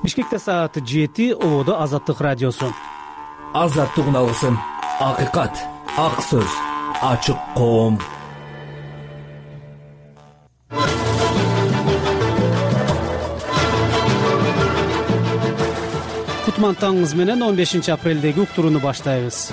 Бишкекте саат 7, Ободо Азаттык радиосу. Азаттык алсын. Акыйкат, ак сөз, ачык коом. Кутман таңыңыз менен 15 апрелдеги уктурууну баштайбыз.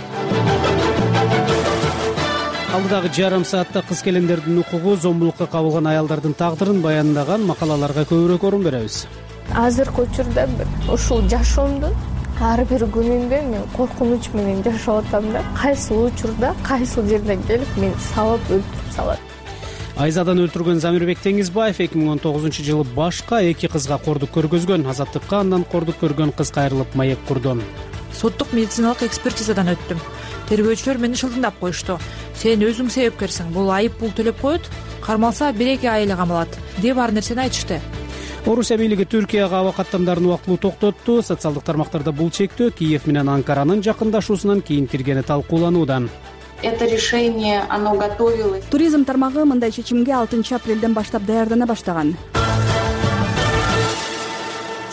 Алдыдагы жарым саатта кыз келиндердин укугу, зомбулукка кабылган аялдардын тагдырын баяндаган макалаларга көбүрөөк орун беребиз. Азыркы учурда ушул жашоомдун ар бир күнүндө мен коркунуч менен жашап атам да. Кайсыл учурда, кайсыл жерден келип мени сабап өлтүрүп салат. Айзадан өлтүргөн Замирбек Теңизбаев 2019-жылы башка 2 кызга кордук көргөзгөн. Азаттыкка андан кордук көргөн кыз кайрылып маек курду. Соттук медициналык экспертизадан өттүм. Тергөөчүлөр мени шылтыңдап коюшту. Сен өзүң себепкерсиң, бул айып пул төлөп коет, кармалса 1-2 ай эле камалат деп ар нерсени айтышты. Орусия бийлиги Түркияга аба каттамдарын убактылуу токтотту. Социалдык тармактарда бул чектөө Киев менен Анкаранын жакындашуусунан кийин киргени талкууланууда. Это решение, оно готовилось. Туризм тармагы мындай чечимге 6 апрелден баштап даярдана баштаган.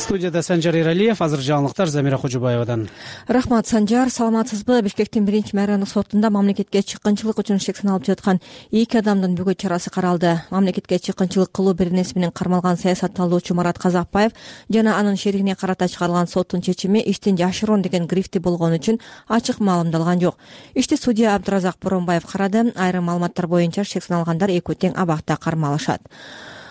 Студияда Санжар Эралиев, азыр жаңылыктар Замира Кожобаевадан. Рахмат, Санжар. Саламатсызбы? Бишкектин 1-мэрияндык сотунда мамлекетке чыккынчылык үчүн шексин алып жаткан 2 адамдын бөгөт чарасы каралды. Мамлекетке чыккынчылык кылуу беренеси менен кармалган саясатталуучу Марат Казакбаев жана анын шеригине карата чыгарылган соттун чечими иштин жашыруун деген грифти болгон үчүн ачык маалымдалган жок. Ишти судья Абдыразак Боронбаев карады. Айрым маалыматтар боюнча шексин алгандар экөө тең абакта кармалышат.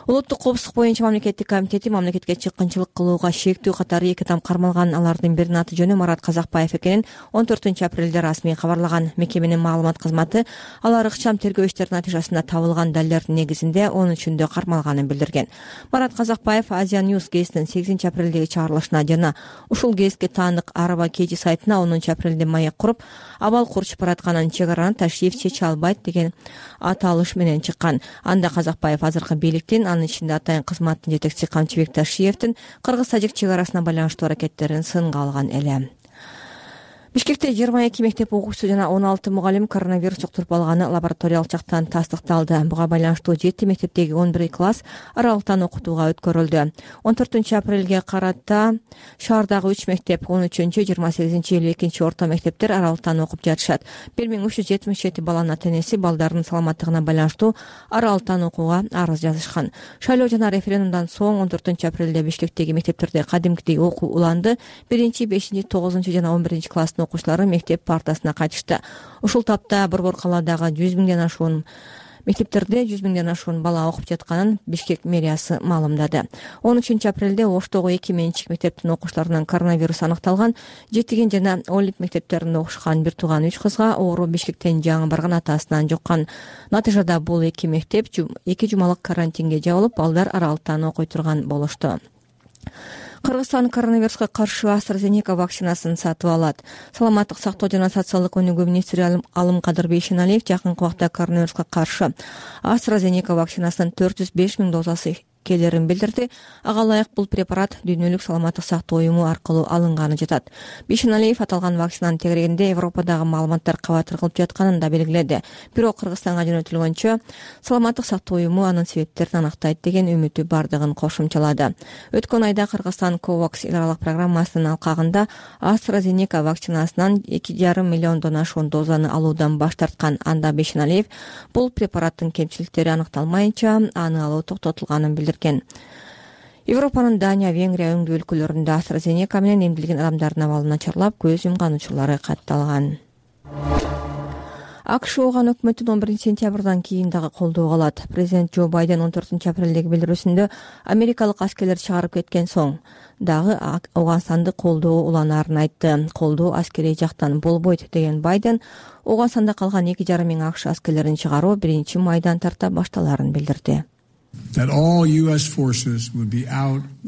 Улуттук коопсуздук боюнча мамлекеттик комитети мамлекетке чыккынчылык кылууга шектүү катары 2 адам кармалган. Алардын биринин аты жөнү Марат Казакбаев экенин 14 апрелде расмий кабарлаган. Мекеменин маалымат кызматы алар ыкчам тергөө иштеринин натыйжасында табылган далилдердин негизинде 13-үндө кармалганын билдирген. Марат Казакбаев Азия News гезитинин 8 апрелдеги чыгарылышына жана ушул гезитке таандык Араба Кеji сайтына 10 апрелде маек куруп, абал курчуп баратканын, чек араны ташриф чече албайт деген аталыш менен чыккан. Анда Казакбаев азыркы бийликтин, анын ичинде атайын кызматтын жетекчиси Камчыбек Ташиевдин кыргыз-тажик чек арасына байланыштуу аракеттерин сынга алган эле. Бишкекте 22 мектеп окуучусу жана 16 мугалим коронавирус жуктуруп алганы лабораториялык жактан тастыкталды. Буга байланыштуу 7 мектептеги 11 класс аралыктан окутууга өткөрүлдү. 14 апрелге карата шаардагы 3 мектеп 13, 28, 52 орто мектептер аралыктан окуп жатышат. 1377 баланын ата-энеси балдардын саламаттыгына байланыштуу аралыктан окууга арыз жазышкан. Шайлоо жана референдумдан соң 14 апрелде Бишкектеги мектептерде кадимкидей окуу уланды. 1, 5, 9 жана 11 класс окуучулары мектеп партасына кайтышты. Ушул тапта Борбор калаадагы 100 миңден ашуун мектептерде 100 миңден ашуун бала окуп жатканын Бишкек мэриясы маалымдады. 13 апрелде Оштогу 2 менчик мектептин окуучуларынан коронавирус аныкталган. Жетиген жана Олимп мектептеринде окушкан бир тууган 3 кызга оору Бишкектен жаңы барган атасынан жуккан. Натыйжада бул 2 мектеп 2 жумалык карантинге жабылып, балдар аралыктан окуй турган болушту. Кыргызстан коронавируска каршы AstraZeneca вакцинасын сатып алат. Саламаттык сактоо жана социалдык өнүгүү министри Алымкадыр Бейшеналиев жакынкы убакта коронавируска каршы AstraZeneca вакцинасынын 405 миң дозасы келерин билдирди. Ага ылайык бул препарат Дүйнөлүк саламаттык сактоо уюму аркылуу алынганы жатат. Бейшеналиев аталган вакцинанын тегерегинде Европадагы маалыматтар кабатыр кылып жатканын да белгиледи. Бирок Кыргызстанга жөнөтүлгөнчө саламаттык сактоо уюму анын себептерин анактайт деген үмүтү бардыгын кошумчалады. Өткөн айда Кыргызстан COVAX эл аралык программасынын алкагында AstraZeneca вакцинасынан 2,5 миллиондон ашуун дозаны алуудан баш тарткан. Анда Бейшеналиев бул препараттын кемчиликтери аныкталмайынча аны алуу токтотулганын билдирген. Европанын Дания, Венгрия өңдүү өлкөлөрүндө AstraZeneca менен эмдилген адамдардын абалы начарлап, көз жумган учурлары катталган. АКШ ооган өкмөттүн 11 сентябрдан кийин дагы колдоого алат. Президент Джо Байден 14 апрелдеги билдирүүсүндө америкалык аскерлер чыгарып кеткен соң дагы Ооганстанды колдоо уланаарын айтты. Колдоо аскерий жактан болбойт деген Байден Ооганстанда калган 2,5 миң АКШ аскерлерин чыгаруу 1 майдан тарта башталарын билдирди.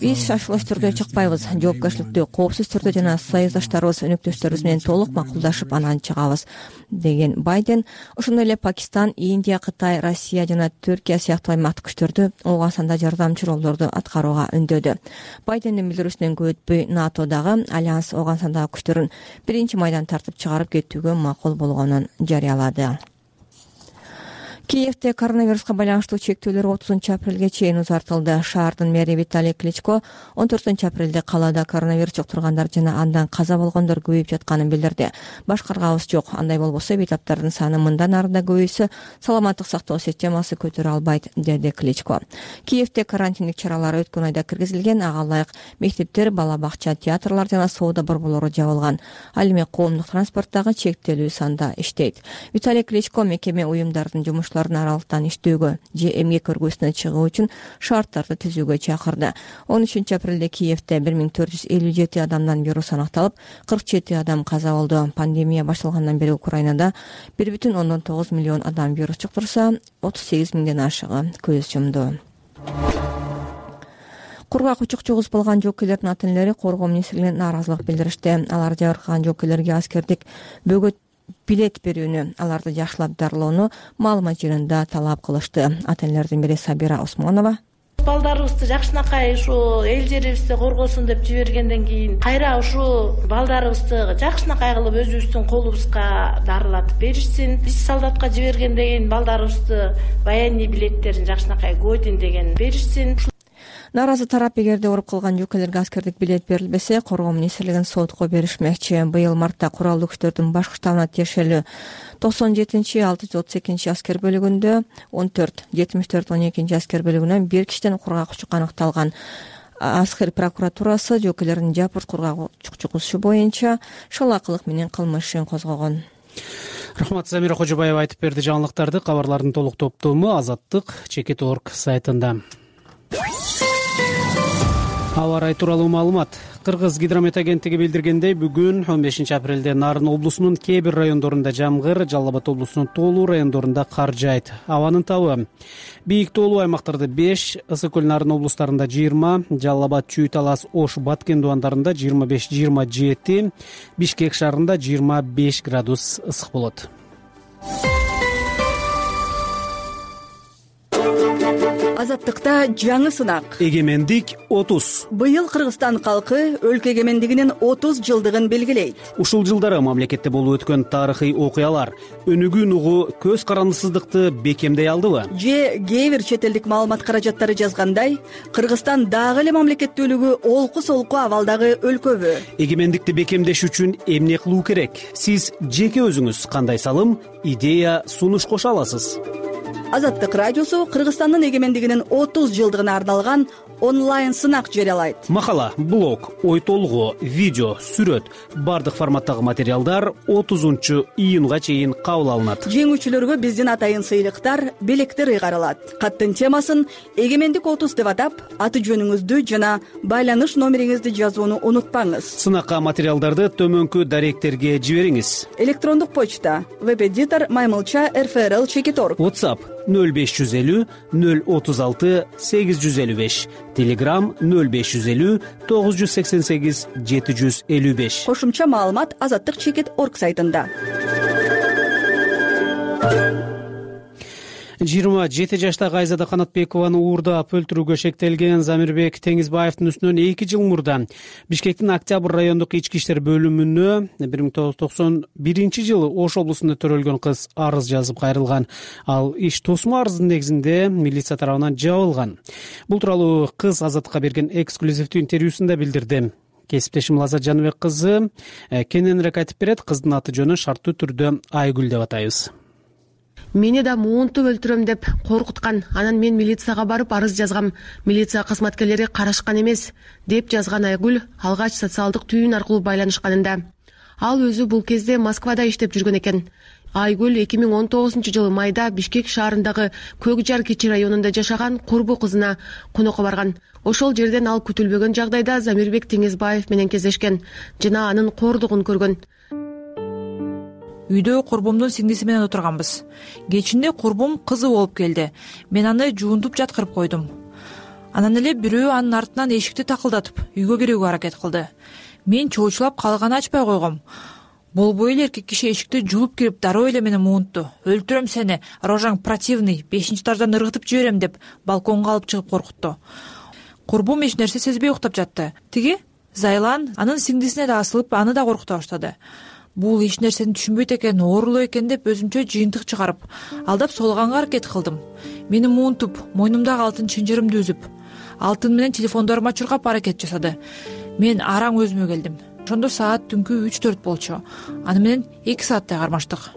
Биз шашылыш түрдө чыкпайбыз, жоопкерчиликтүү, коопсуз түрдө жана союздаштарыбыз, өнөктөштөрүбүз менен толук макулдашып анан чыгабыз деген Байден. Ошондой эле Пакистан, Индия, Кытай, Россия жана Түркия сыяктуу аймактык күчтөрдү Ооганстанда жардамчы ролдорду аткарууга үндөдү. Байдендин билдирүүсүнөн көп өтпөй НАТОдагы альянс Ооганстандагы күчтөрүн 1 майдан тартып чыгарып кетүүгө макул болгонун жарыялады. Киевде коронавируска байланыштуу чектөөлөр 30-апрелге чейин узартылды. Шаардын мэри Виталий Кличко 14-апрелде калаада коронавирус жуктургандар жана андан каза болгондор көбөйүп жатканын билдирди. Башкарганыбыз жок. Андай болбосо бейтаптардын саны мындан ары да көбөйсө, саламаттык сактоо системасы көтөрө албайт, деди Кличко. Киевде карантиндик чаралар өткөн айда киргизилген. Ага ылайык мектептер, бала бакча, театрлар жана соода борборлору жабылган. Ал эми коомдук транспорттагы чектелүү санда иштейт. Виталий Кличко мекеме уюмдардын жумушчуларын аралыктан иштөөгө же эмгек көргөсүнө чыгуу үчүн шарттарды түзүүгө чакырды. 13-апрелде Киевде 1457 адамдан вирус аныкталып, 47 адам каза болду. Пандемия башталгандан бери Украинада 1,9 миллион адам вирус жуктурса, 38 миңден ашыгы көз жумду. Кургак учук жугузбалган жокейлердин ата-энелери коргоо министрлигине нааразылык билдиришти. Алар жабыркаган жокейлерге аскердик бөгөт билет берүүнү, аларды жакшылап дарылоону маалымат жыйынында талап кылышты. Ата-энелердин бири Сабира Осмонова: балдарыбызды жакшынакай ушу эл жерибизде коргосун деп жибергенден кийин кайра ушу балдарыбызды жакшынакай кылып өзүбүздүн колубузга дарылатып беришсин. Биз солдатка жибергенден кийин балдарыбызды военный билеттерин жакшынакай кодин деген беришсин. Нааразы тарап эгерде ооруп калган жокейлерге аскердик билет берилбесе, коргоо министрлигин сотко беришмекчи. Быйыл мартта куралдуу күчтөрдүн башкы штабына тиешелүү 97-632 аскер бөлүгүндө 14, 74-12 аскер бөлүгүнөн бир кишиден кургак учук аныкталган. Аскер прокуратурасы жокейлердин жапырт кургак учук жугузушу боюнча шалаакылык менен кылмыш ишин козгогон. Рахмат, Замира Кожобаева айтып берди жаңылыктарды. Кабарлардын толук топтому Азаттык.org сайтында. Аба ырайы тууралуу маалымат. Кыргыз гидромет агенттиги билдиргендей, бүгүн 15-апрелде Нарын облусунун кээ бир райондорунда жамгыр, Жалал Абад облусунун тоолуу райондорунда кар жаайт. Абанын табы: бийик тоолуу аймактарда 5, Ысык көл, Нарын облустарында 20, Жалал Абад, Чүй, Талас, Ош, Баткен дубандарында 25-27, Бишкек шаарында 25 градус ысык болот. Азаттыкта жаңы сынак. Эгемендик 30. Быйыл Кыргызстан калкы өлкө эгемендигинин 30 жылдыгын белгилейт. Ушул жылдары мамлекетте болуп өткөн тарыхый окуялар өнүгүүнү угуу көз карандысыздыкты бекемдей алдыбы? Же кээ бир чет элдик маалымат каражаттары жазгандай, Кыргызстан дагы эле мамлекеттүүлүгү олку-солку абалдагы өлкөбү? Эгемендикти бекемдеш үчүн эмне кылуу керек? Сиз жеке өзүңүз кандай салым, идея, сунуш кошо аласыз? Азаттык радиосу Кыргызстандын эгемендигинин 30 жылдыгына арналган онлайн сынак жарыялайт. Макала, блог, ой толгоо, видео, сүрөт, бардык форматтагы материалдар 30-июнга чейин кабыл алынат. Жеңүүчүлөргө биздин атайын сыйлыктар, белектер ыйгарылат. Каттын темасын Эгемендик 30 деп атап, аты жөнүңүздү жана байланыш номериңизди жазууну унутпаңыз. Сынакка материалдарды төмөнкү даректерге жибериңиз. Электрондук почта: webeditor@rfrl.org. WhatsApp 0550 036 855, Telegram 0550 988 755. Кошумча маалымат Азаттык.org сайтында. 27 жаштагы Айзада Канатбекованы уурдап өлтүрүүгө шектелген Замирбек Теңизбаевдин үстүнөн 2 жыл мурда Бишкектин Октябрь райондук ички иштер бөлүмүнө 1991 Ош облусунда төрөлгөн кыз арыз жазып кайрылган. Ал иш тосмо арыздын негизинде милиция тарабынан жабылган. Бул тууралуу кыз Азаттыкка берген эксклюзивдүү интервьюсунда билдирди. Кесиптешим Лазат Жаныбек кызы кененирээк айтып берет. Кыздын аты жөнү шарттуу түрдө Айгүл деп атайбыз. Мени да муунтуп өлтүрөм деп коркуткан. Анан мен милицияга барып арыз жазгам. Милиция кызматкерлери карашкан эмес, деп жазган Айгүл алгач социалдык түйүн аркылуу байланышканында. Ал өзү бул кезде Москвада иштеп жүргөн экен. Айгүл 2019-жылы майда Бишкек шаарындагы Көк Жар Кичи районунда жашаган курбу кызына конокко барган. Ошол жерден ал күтүлбөгөн жагдайда Замирбек Теңизбаев менен кездешкен жана анын кордугун көргөн. Үйдө курбумдун сиңдиси менен отурганбыз. Кечинде курбум кызы болуп келди. Мен аны жуунтуп жаткырып койдум. Анан эле бирөө анын артынан эшикти такылдатып, үйгө кирүүгө аракет кылды. Мен чоочулап калган ачпай койгом. Болбой эле эркек киши эшикти жулуп кирип дароо эле мени муунтту. Өлтүрөм сени, рожаң противный, 5-этаждан ыргытып жиберем деп балконго алып чыгып коркутту. Курбум эч нерсе сезбей уктап жатты. Тиги Зайлан анын сиңдисине да асылып, аны да коркута баштады. бул эч нерсени түшүнбөйт экен, оорулуу экен деп өзүмчө жыйынтык чыгарып, алдап солганга аракет кылдым. Мени муунтуп, мойнумдагы алтын чынжырымды үзүп, алтын менен телефондорума чуркап аракет жасады. Мен араң өзүмө келдим. Ошондо саат түнкү 3-4 болчу. Аны менен 2 сааттай кармаштык.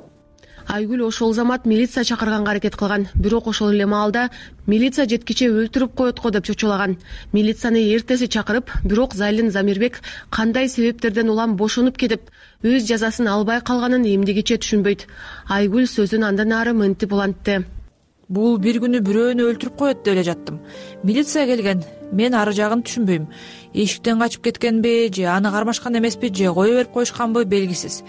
Айгүл ошол замат милиция чакырганга аракет кылган. Бирок ошол эле маалда милиция жеткиче өлтүрүп коет го деп чочулаган. Милицияны эртеси чакырып, бирок Зайлин Замирбек кандай себептерден улам бошонуп кетип, өз жазасын албай калганын эмдигиче түшүнбөйт. Айгүл сөзүн андан ары мынтип улантты. Бул бир күнү бирөөнү өлтүрүп коет деп эле жаттым. Милиция келген. Мен ары жагын түшүнбөйм. Эшиктен качып кеткенби, же аны кармашкан эмеспи, же кое берип коюшканбы белгисиз.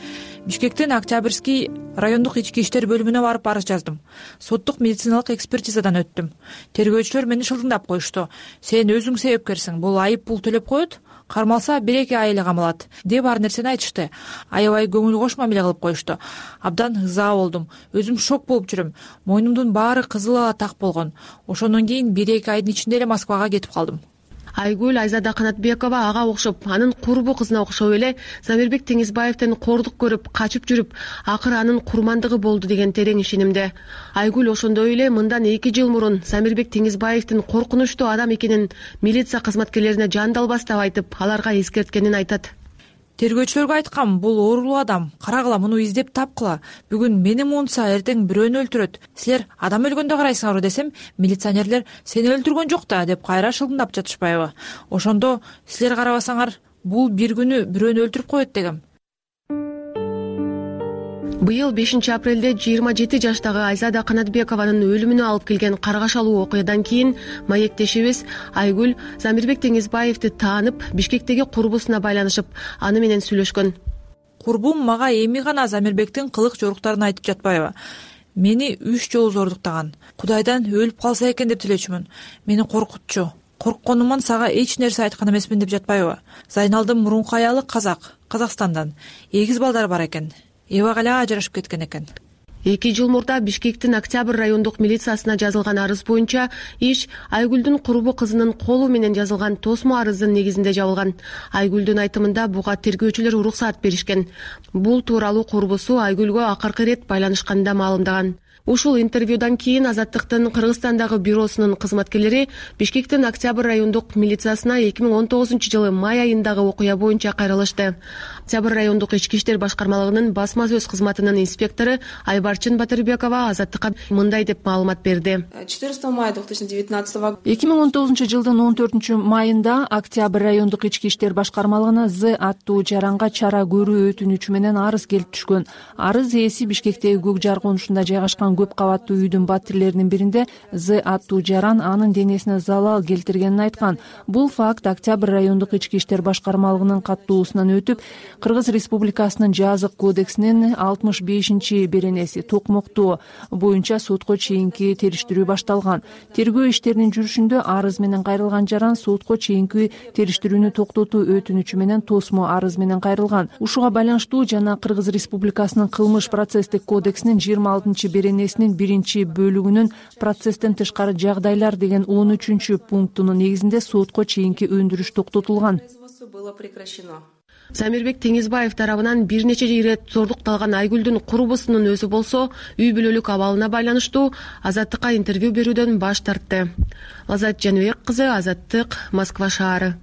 Бишкектен Октябрьский райондук ички иштер бөлүмүнө барып арыз жаздым. Соттук медициналык экспертизадан өттүм. Тергөөчүлөр мени шылдыңдап коюшту. Сен өзүң себепкерсиң, бул айып пул төлөп коет, кармалса 1-2 ай эле камалат деп ар нерсени айтышты. Аябай көңүл кош мамиле кылып коюшту. Абдан ыза болдум. Өзүм шок болуп жүрөм. Мойнумдун баары кызыл ала так болгон. Ошондон кийин 1-2 айдын ичинде эле Москвага кетип калдым. Айгүл Айзада Канатбекова ага окшоп, анын курбу кызына окшоп эле Замирбек Теңизбаевден кордук көрүп, качып жүрүп, акыры анын курмандыгы болду деген терең ишенимде. Айгүл ошондой эле мындан 2 жыл мурун Замирбек Теңизбаевдин коркунучтуу адам экенин милиция кызматкерлерине жандалбастап айтып, аларга эскерткенин айтат. Тергөөчүлөргө айткам, бул оорулуу адам, карагыла, муну издеп тапкыла. Бүгүн мени муунтса, эртең бирөөнү өлтүрөт. Силер адам өлгөндө карайсыңарбы десем, милиционерлер сени өлтүргөн жок да деп кайра шылдыңдап жатышпайбы. Ошондо силер карабасаңар, бул бир күнү бирөөнү өлтүрүп коет дегем. Быйыл 5 апрелде 27 жаштагы Айзада Канатбекованын өлүмүнө алып келген каргашалуу окуядан кийин маектешибиз Айгүл Замирбек Теңизбаевди таанып, Бишкектеги курбусуна байланышып, аны менен сүйлөшкөн. Курбум мага эми гана Замирбектин кылык жоруктарын айтып жатпайбы? Мени 3 жолу зордуктаган. Кудайдан өлүп калса экен деп тилечүмүн. Мени коркутчу. Коркконуман сага эч нерсе айткан эмесмин деп жатпайбы? Зайналдын мурунку аялы Казакстандан. 8 балдары бар экен. Эбак эле ажырашып кеткен экен. 2 жыл мурда Бишкектин Октябрь райондук милициясына жазылган арыз боюнча иш Айгүлдүн курбу кызынын колу менен жазылган тосмо арыздын негизинде жабылган. Айгүлдүн айтымында буга тергөөчүлөр уруксаат беришкен. Бул тууралуу курбусу Айгүлгө акыркы ирет байланышканда маалымдаган. Ушул интервьюдан кийин Азаттыктын Кыргызстандагы бюросунун кызматкерлери Бишкектин Октябрь райондук милициясына 2019-жылы май айындагы окуя боюнча кайрылышты. Октябрь райондук ички иштер башкармалыгынын басма сөз кызматынын инспектору Айбарчын Батырбекова Азаттыкка мындай деп маалымат берди. 14 мая 2019 года 2019-жылдын 14-майында Октябрь райондук ички иштер башкармалыгына З аттуу жаранга чара көрүү өтүнүчү менен арыз келип түшкөн. Арыз ээси Бишкектеги Көк Жар конушунда жайгашкан көп кабаттуу үйдүн баттирлеринин биринде З аттуу жаран анын денесине залал келтиргенин айткан. Бул факт Октябрь райондук ички иштер башкармалыгынын каттуусунан өтүп, Кыргыз Республикасынын жазык кодексинин 65-беренеси токмоктоо боюнча сотко чейинки териштирүү башталган. Тергөө иштеринин жүрүшүндө арыз менен кайрылган жаран сотко чейинки териштирүүнү токтотуу өтүнүчү менен тосмо арыз менен кайрылган. Ушуга байланыштуу жана Кыргыз Республикасынын кылмыш процесстик кодексинин 26-беренесинин 1-бөлүгүнүн процесстен тышкары жагдайлар деген 13-пунктунун негизинде сотко чейинки өндүрүш токтотулган. Замирбек Теңизбаев тарабынан бир нече ирет зордукталган Айгүлдүн курбусунун өзү болсо үй бүлөлүк абалына байланыштуу Азаттыкка интервью берүүдөн баш тартты. Лазат Жаныбек кызы, Азаттык, Москва шаары.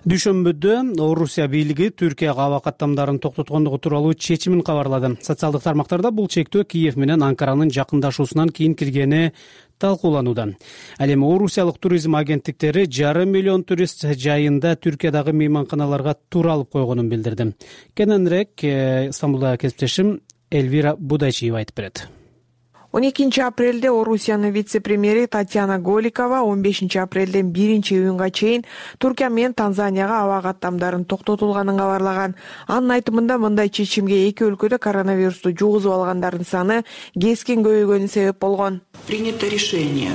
Дүйшөмбүдө Орусия бийлиги Түркияга аба каттамдарын токтоткондугу тууралуу чечимин кабарлады. Социалдык тармактарда бул чектөө Киев менен Анкаранын жакындашуусунан кийин киргени талкууланууда. Ал эми орусиялык туризм агенттиктери 5,5 миллион турист жайында Түркиядагы мейманканаларга тур алып койгонун билдирди. Кененирээк Стамбулда кесиптешим Эльвира Будайчиева айтып берет. 12 апрелде Орусиянын вице-премьери Татьяна Голикова 15 апрелден 1-июнга чейин Туркия менен Танзанияга аба каттамдарын токтотулганын кабарлаган. Анын айтымында мындай чечимге эки өлкөдө коронавирусту жугузуп алгандардын саны кескин көбөйгөнү себеп болгон. Принято решение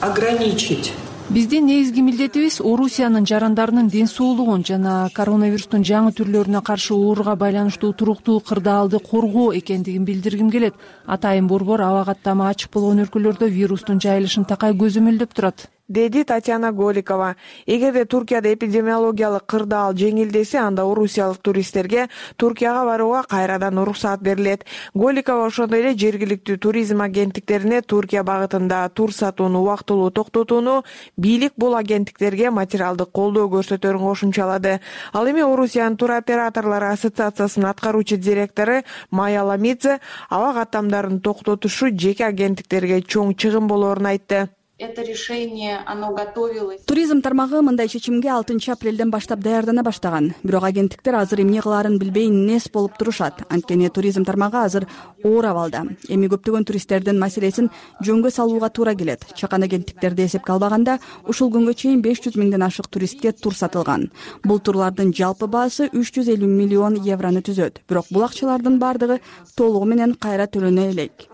ограничить Биздин негизги милдетибиз Орусиянын жарандарынын ден соолугун жана коронавирустун жаңы түрлөрүнө каршы ооруга байланыштуу туруктуу кырдаалды коргоо экендигин билдиргим келет. Атайын борбор аба каттамы ачык болгон өлкөлөрдө вирустун жайылышын такай көзөмөлдөп турат, деди Татьяна Голикова. Эгерде Туркияда эпидемиологиялык кырдаал жеңилдесе, анда орусиялык туристтерге Туркияга барууга кайрадан уруксаат берилет. Голикова ошондой эле жергиликтүү туризм агенттиктерине Туркия багытында тур сатууну убактылуу токтотууну бийлик бул агенттиктерге материалдык колдоо көрсөтөрүн кошумчалады. Ал эми Орусиянын туроператорлору ассоциациясынын аткаруучу директору Майя Ламидзе аба каттамдарын токтотушу жеке агенттиктерге чоң чыгым болоорун айтты. Это решение, оно готовилось. Туризм тармагы мындай чечимге 6 апрелден баштап даярдана баштаган. Бирок агенттиктер азыр эмне кылаарын билбей нес болуп турушат. Анткени туризм тармагы азыр оор абалда. Эми көптөгөн туристтердин маселесин жөнгө салууга туура келет. Чакан агенттиктерди эсепке албаганда, ушул күнгө чейин 500 миңден ашык туристке тур сатылган. Бул турлардын жалпы баасы 350 миллион еврону түзөт. Бирок бул акчалардын бардыгы толугу менен кайра төлөнө элек,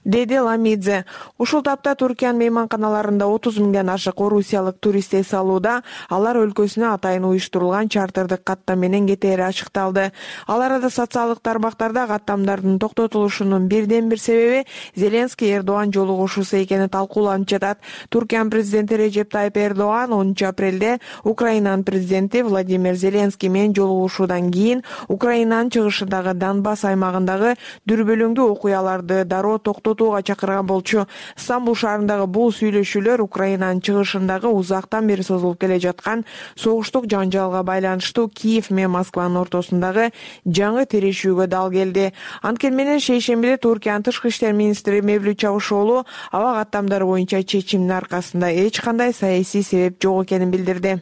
деди Ламидзе. Ушул тапта Туркиянын мейманканаларында 30 миңден ашык орусиялык турист эс алууда. Алар өлкөсүнө атайын уюштурулган чартердик каттам менен кетери ачыкталды. Ал арада социалдык тармактарда каттамдардын токтотулушунун бирден бир себеби Зеленский Эрдоган жолугушуусу экени талкууланып жатат. Туркиянын президенти Режеп Тайип Эрдоган 10 апрелде Украинанын президенти Владимир Зеленский менен жолугушуудан кийин Украинанын чыгышындагы Донбасс аймагындагы дүрбөлөңдүү окуяларды дароо токтотууга чакырган болчу. Стамбул шаарындагы бул сүйлөшүүлөр Украинанын чыгышындагы узактан бери созулуп келе жаткан согуштук жанжалга байланыштуу Киев менен Москванын ортосундагы жаңы тирешүүгө дал келди. Анткени менен шейшембиде Туркиянын тышкы иштер министри Мевлют Чавушоğlu аба каттамдары боюнча чечимдин аркасында эч кандай саясий себеп жок экенин билдирди.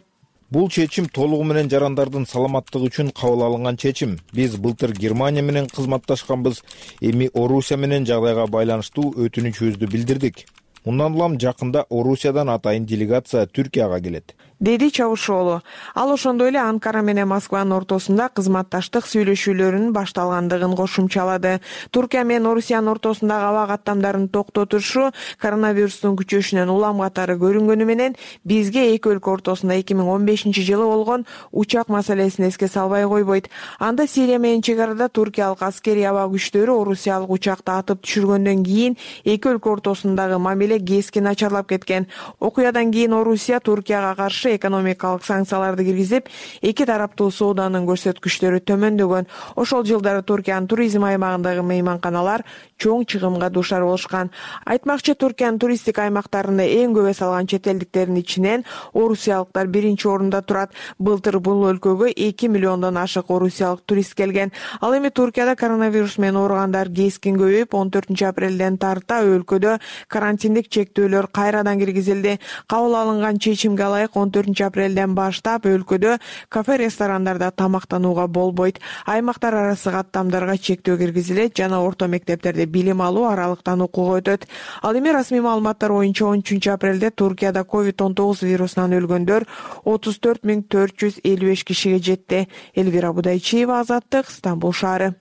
Бул чечим толугу менен жарандардын саламаттыгы үчүн кабыл алынган чечим. Биз былтыр Германия менен кызматташканбыз. Эми Орусия менен жагдайга байланыштуу өтүнүчүбүздү билдирдик. Мындан улам жакында Орусиядан атайын делегация Түркияга келет, деди Чавушоğlu. Ал ошондой эле Анкара менен Москванын ортосунда кызматташтык сүйлөшүүлөрүнүн башталгандыгын кошумчалады. Туркия менен Орусиянын ортосундагы аба каттамдарын токтотушу коронавирустун күчөшүнөн улам катары көрүнгөнү менен бизге эки өлкө ортосунда 2015-жылы болгон учак маселесин эске салбай койбойт. Анда Сирия менен чек арада туркиялык аскерий аба күчтөрү орусиялык учакты атып түшүргөндөн кийин эки өлкө ортосундагы мамиле кескин начарлап кеткен. Окуядан кийин Орусия Туркияга каршы экономикалык санкцияларды киргизип, эки тараптуу сооданын көрсөткүчтөрү төмөндөгөн. Ошол жылдары Туркиянын туризм аймагындагы мейманканалар чоң чыгымга дуушар болушкан. Айтмакчы, Туркиянын туристтик аймактарында эң көп эс алган чет элдиктердин ичинен орусиялыктар биринчи орунда турат. Былтыр бул өлкөгө 2 миллиондон ашык орусиялык турист келген. Ал эми Туркияда коронавирус менен ооругандар кескин көбөйүп, 14 апрелден тарта өлкөдө карантиндик чектөөлөр кайрадан киргизилди. Кабыл алынган чечимге ылайык 14 апрелден баштап өлкөдө кафе, ресторандарда тамактанууга болбойт. Аймактар арасы каттамдарга чектөө киргизилет жана орто мектептерде билим алуу аралыктан окууга өтөт. Ал эми расмий маалыматтар боюнча 13 апрелде Туркияда COVID-19 вирусунан өлгөндөр 34.455 кишиге жетти. Элвира Будайчиева, Азаттык, Стамбул шаары.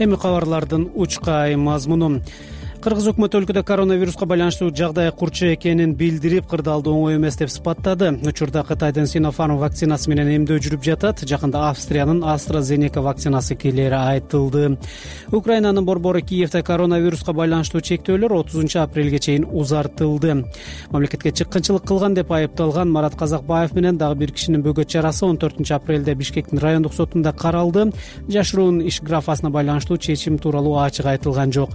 Эми кабарлардын учкай мазмуну. Кыргыз өкмөтү өлкөдө коронавируска байланыштуу жагдай курчу экенин билдирип, кырдаалды оңой эмес деп сыпаттады. Учурда Кытайдын Sinopharm вакцинасы менен эмдөө жүрүп жатат. Жакында Австриянын AstraZeneca вакцинасы келери айтылды. Украинанын борбору Киевде коронавируска байланыштуу чектөөлөр 30 апрелге чейин узартылды. Мамлекетке чыккынчылык кылган деп айыпталган Марат Казакбаев менен дагы бир кишинин бөгөт чарасы 14 апрелде Бишкектин райондук сотунда каралды. Жашыруун иш графасына байланыштуу чечим тууралуу ачык айтылган жок.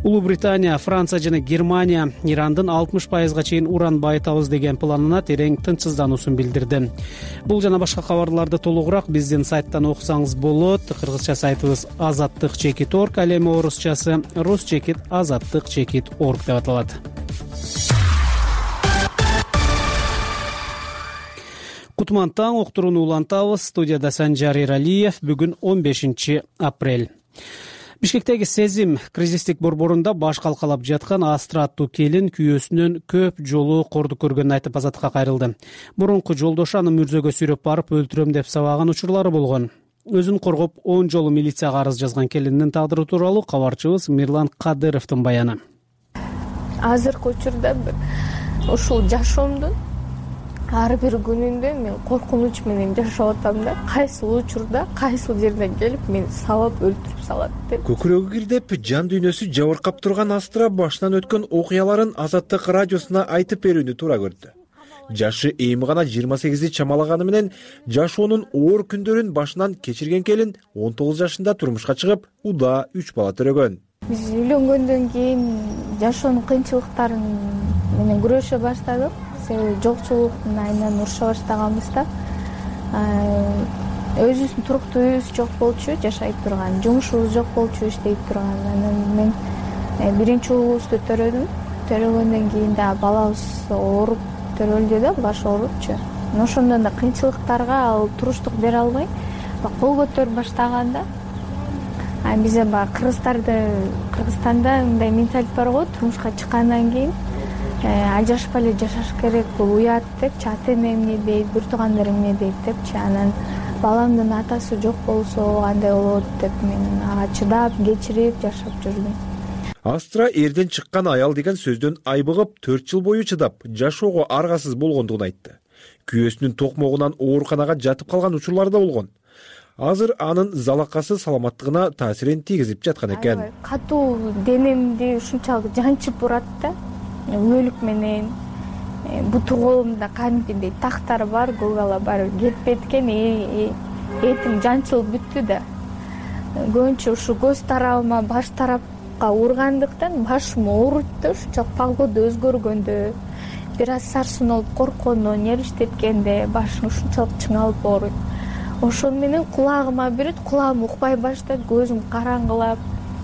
Улуу Британия, Франция жана Германия Ирандын 60%га чейин уран байытабыз деген планына терең тынчсыздануусун билдирди. Бул жана башка кабарларды толугураак биздин сайттан окусаңыз болот. Кыргызча сайтыбыз azattik.org, ал эми орусчасы rus.azattik.org деп аталат. Кутман таң, уктурууну улантабыз. Студияда Санжар Эралиев. Бүгүн 15 апрель. Бишкектеги Сезим кризистик борборунда баш калкалап жаткан Астра аттуу келин күйөөсүнөн көп жолу корду көргөнүн айтып азаттыкка кайрылды. Мурунку жолдошу аны мүрзөгө сүйрөп барып өлтүрөм деп сабаган учурлары болгон. Өзүн коргоп 10 жолу милицияга арыз жазган келиндин тагдыры тууралуу кабарчыбыз Мирлан Кадыровдун баяны. азыркы учурда ушул жашоомдун ар бир күнүндө мен коркунуч менен жашап атам да. Кайсыл учурда кайсыл жерден келип мени сабап өлтүрүп салат деп. Көкүрөгү кирдеп, жан дүйнөсү жабыркап турган Астра башынан өткөн окуяларын Азаттык радиосуна айтып берүүнү туура көрдү. Жашы эми гана 28 чамалаганы менен жашоонун оор күндөрүн башынан кечирген келин 19 жашында турмушка чыгып, удаа 3 бала төрөгөн. Биз үйлөнгөндөн кийин жашоонун кыйынчылыктарын менен күрөшө баштадык. Себеби жокчулуктун айынан уруша баштаганбыз да. Өзүбүздүн туруктуу үйүбүз жок болчу, жашай турган, жумушубуз жок болчу, иштей турган. Анан мен биринчи уулубузду төрөдүм. Төрөгөндөн кийин да балабыз ооруп төрөлдү да, башы оорупчу. Ошондон да кыйынчылыктарга ал туруштук бере албай, кол көтөрүп баштаганда бизе Кыргызстанда мындай менталитет бар го, турмушка чыккандан кийин ажырашпай эле жашаш керек, бул уят депчи, ата эне эмне дейт, бир туугандар эмне дейт депчи. Анан баламдын атасы жок болсо кандай болот деп мен ага чыдап, кечирип жашап жүрдүм. Астра эрден чыккан аял деген сөздөн айбыгып 4 жыл бою чыдап, жашоого аргасыз болгондугун айтты. Күйөөсүнүн токмогунан ооруканага жатып калган учурлар да болгон. Азыр анын залакасы саламаттыгына таасирин тийгизип жаткан экен. Катуу денемди ушунчалык жанчып урат да. Өлүк менен буту колумда кадимкидей тактар бар, гугала бар, кетпейт экен, этим жанчылып бүттү да. Көбүнчө ушу көз тарабыма, баш тарапка ургандыктан башым ооруйт да, ушунчалык погода өзгөргөндө, бир аз сарсынып корккондо, нервиштеткенде башым ушунчалык чыңалып ооруйт. Ошону менен кулагыма берет, кулагым укпай баштайт, көзүм караңгылап,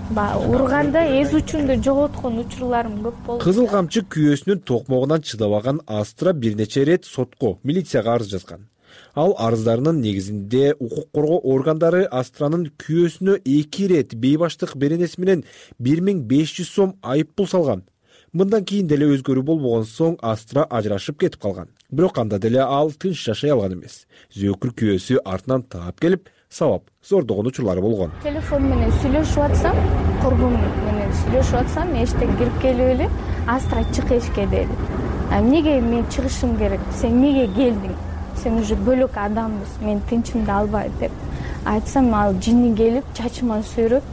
урганда эз учумду жоготкон учурларым көп болду. Кызыл камчы күйөөсүнүн токмогунан чыдабаган Астра бир нече ирет сотко, милицияга арыз жазган. Ал арыздарынын негизинде укук коргоо органдары Астранын күйөөсүнө 2 ирет бейбаштык беренеси менен 1500 сом айып пул салган. Мындан кийин деле өзгөрүү болбогон соң Астра ажырашып кетип калган. Бирок анда деле ал тынч жашай алган эмес. Зөөкүр күйөөсү артынан таап келип, сабап зордогон учурлары болгон. Телефон менен сүйлөшүп атсам, курбум менен сүйлөшүп атсам, эштен кирип келип эле Астра чык эшикке деди. Эмнеге мен чыгышым керек? Сен эмнеге келдиң? Сен уже бөлөк адамбыз, мен тынчымды албай деп айтсам, ал жини келип чачыма сүйрөп,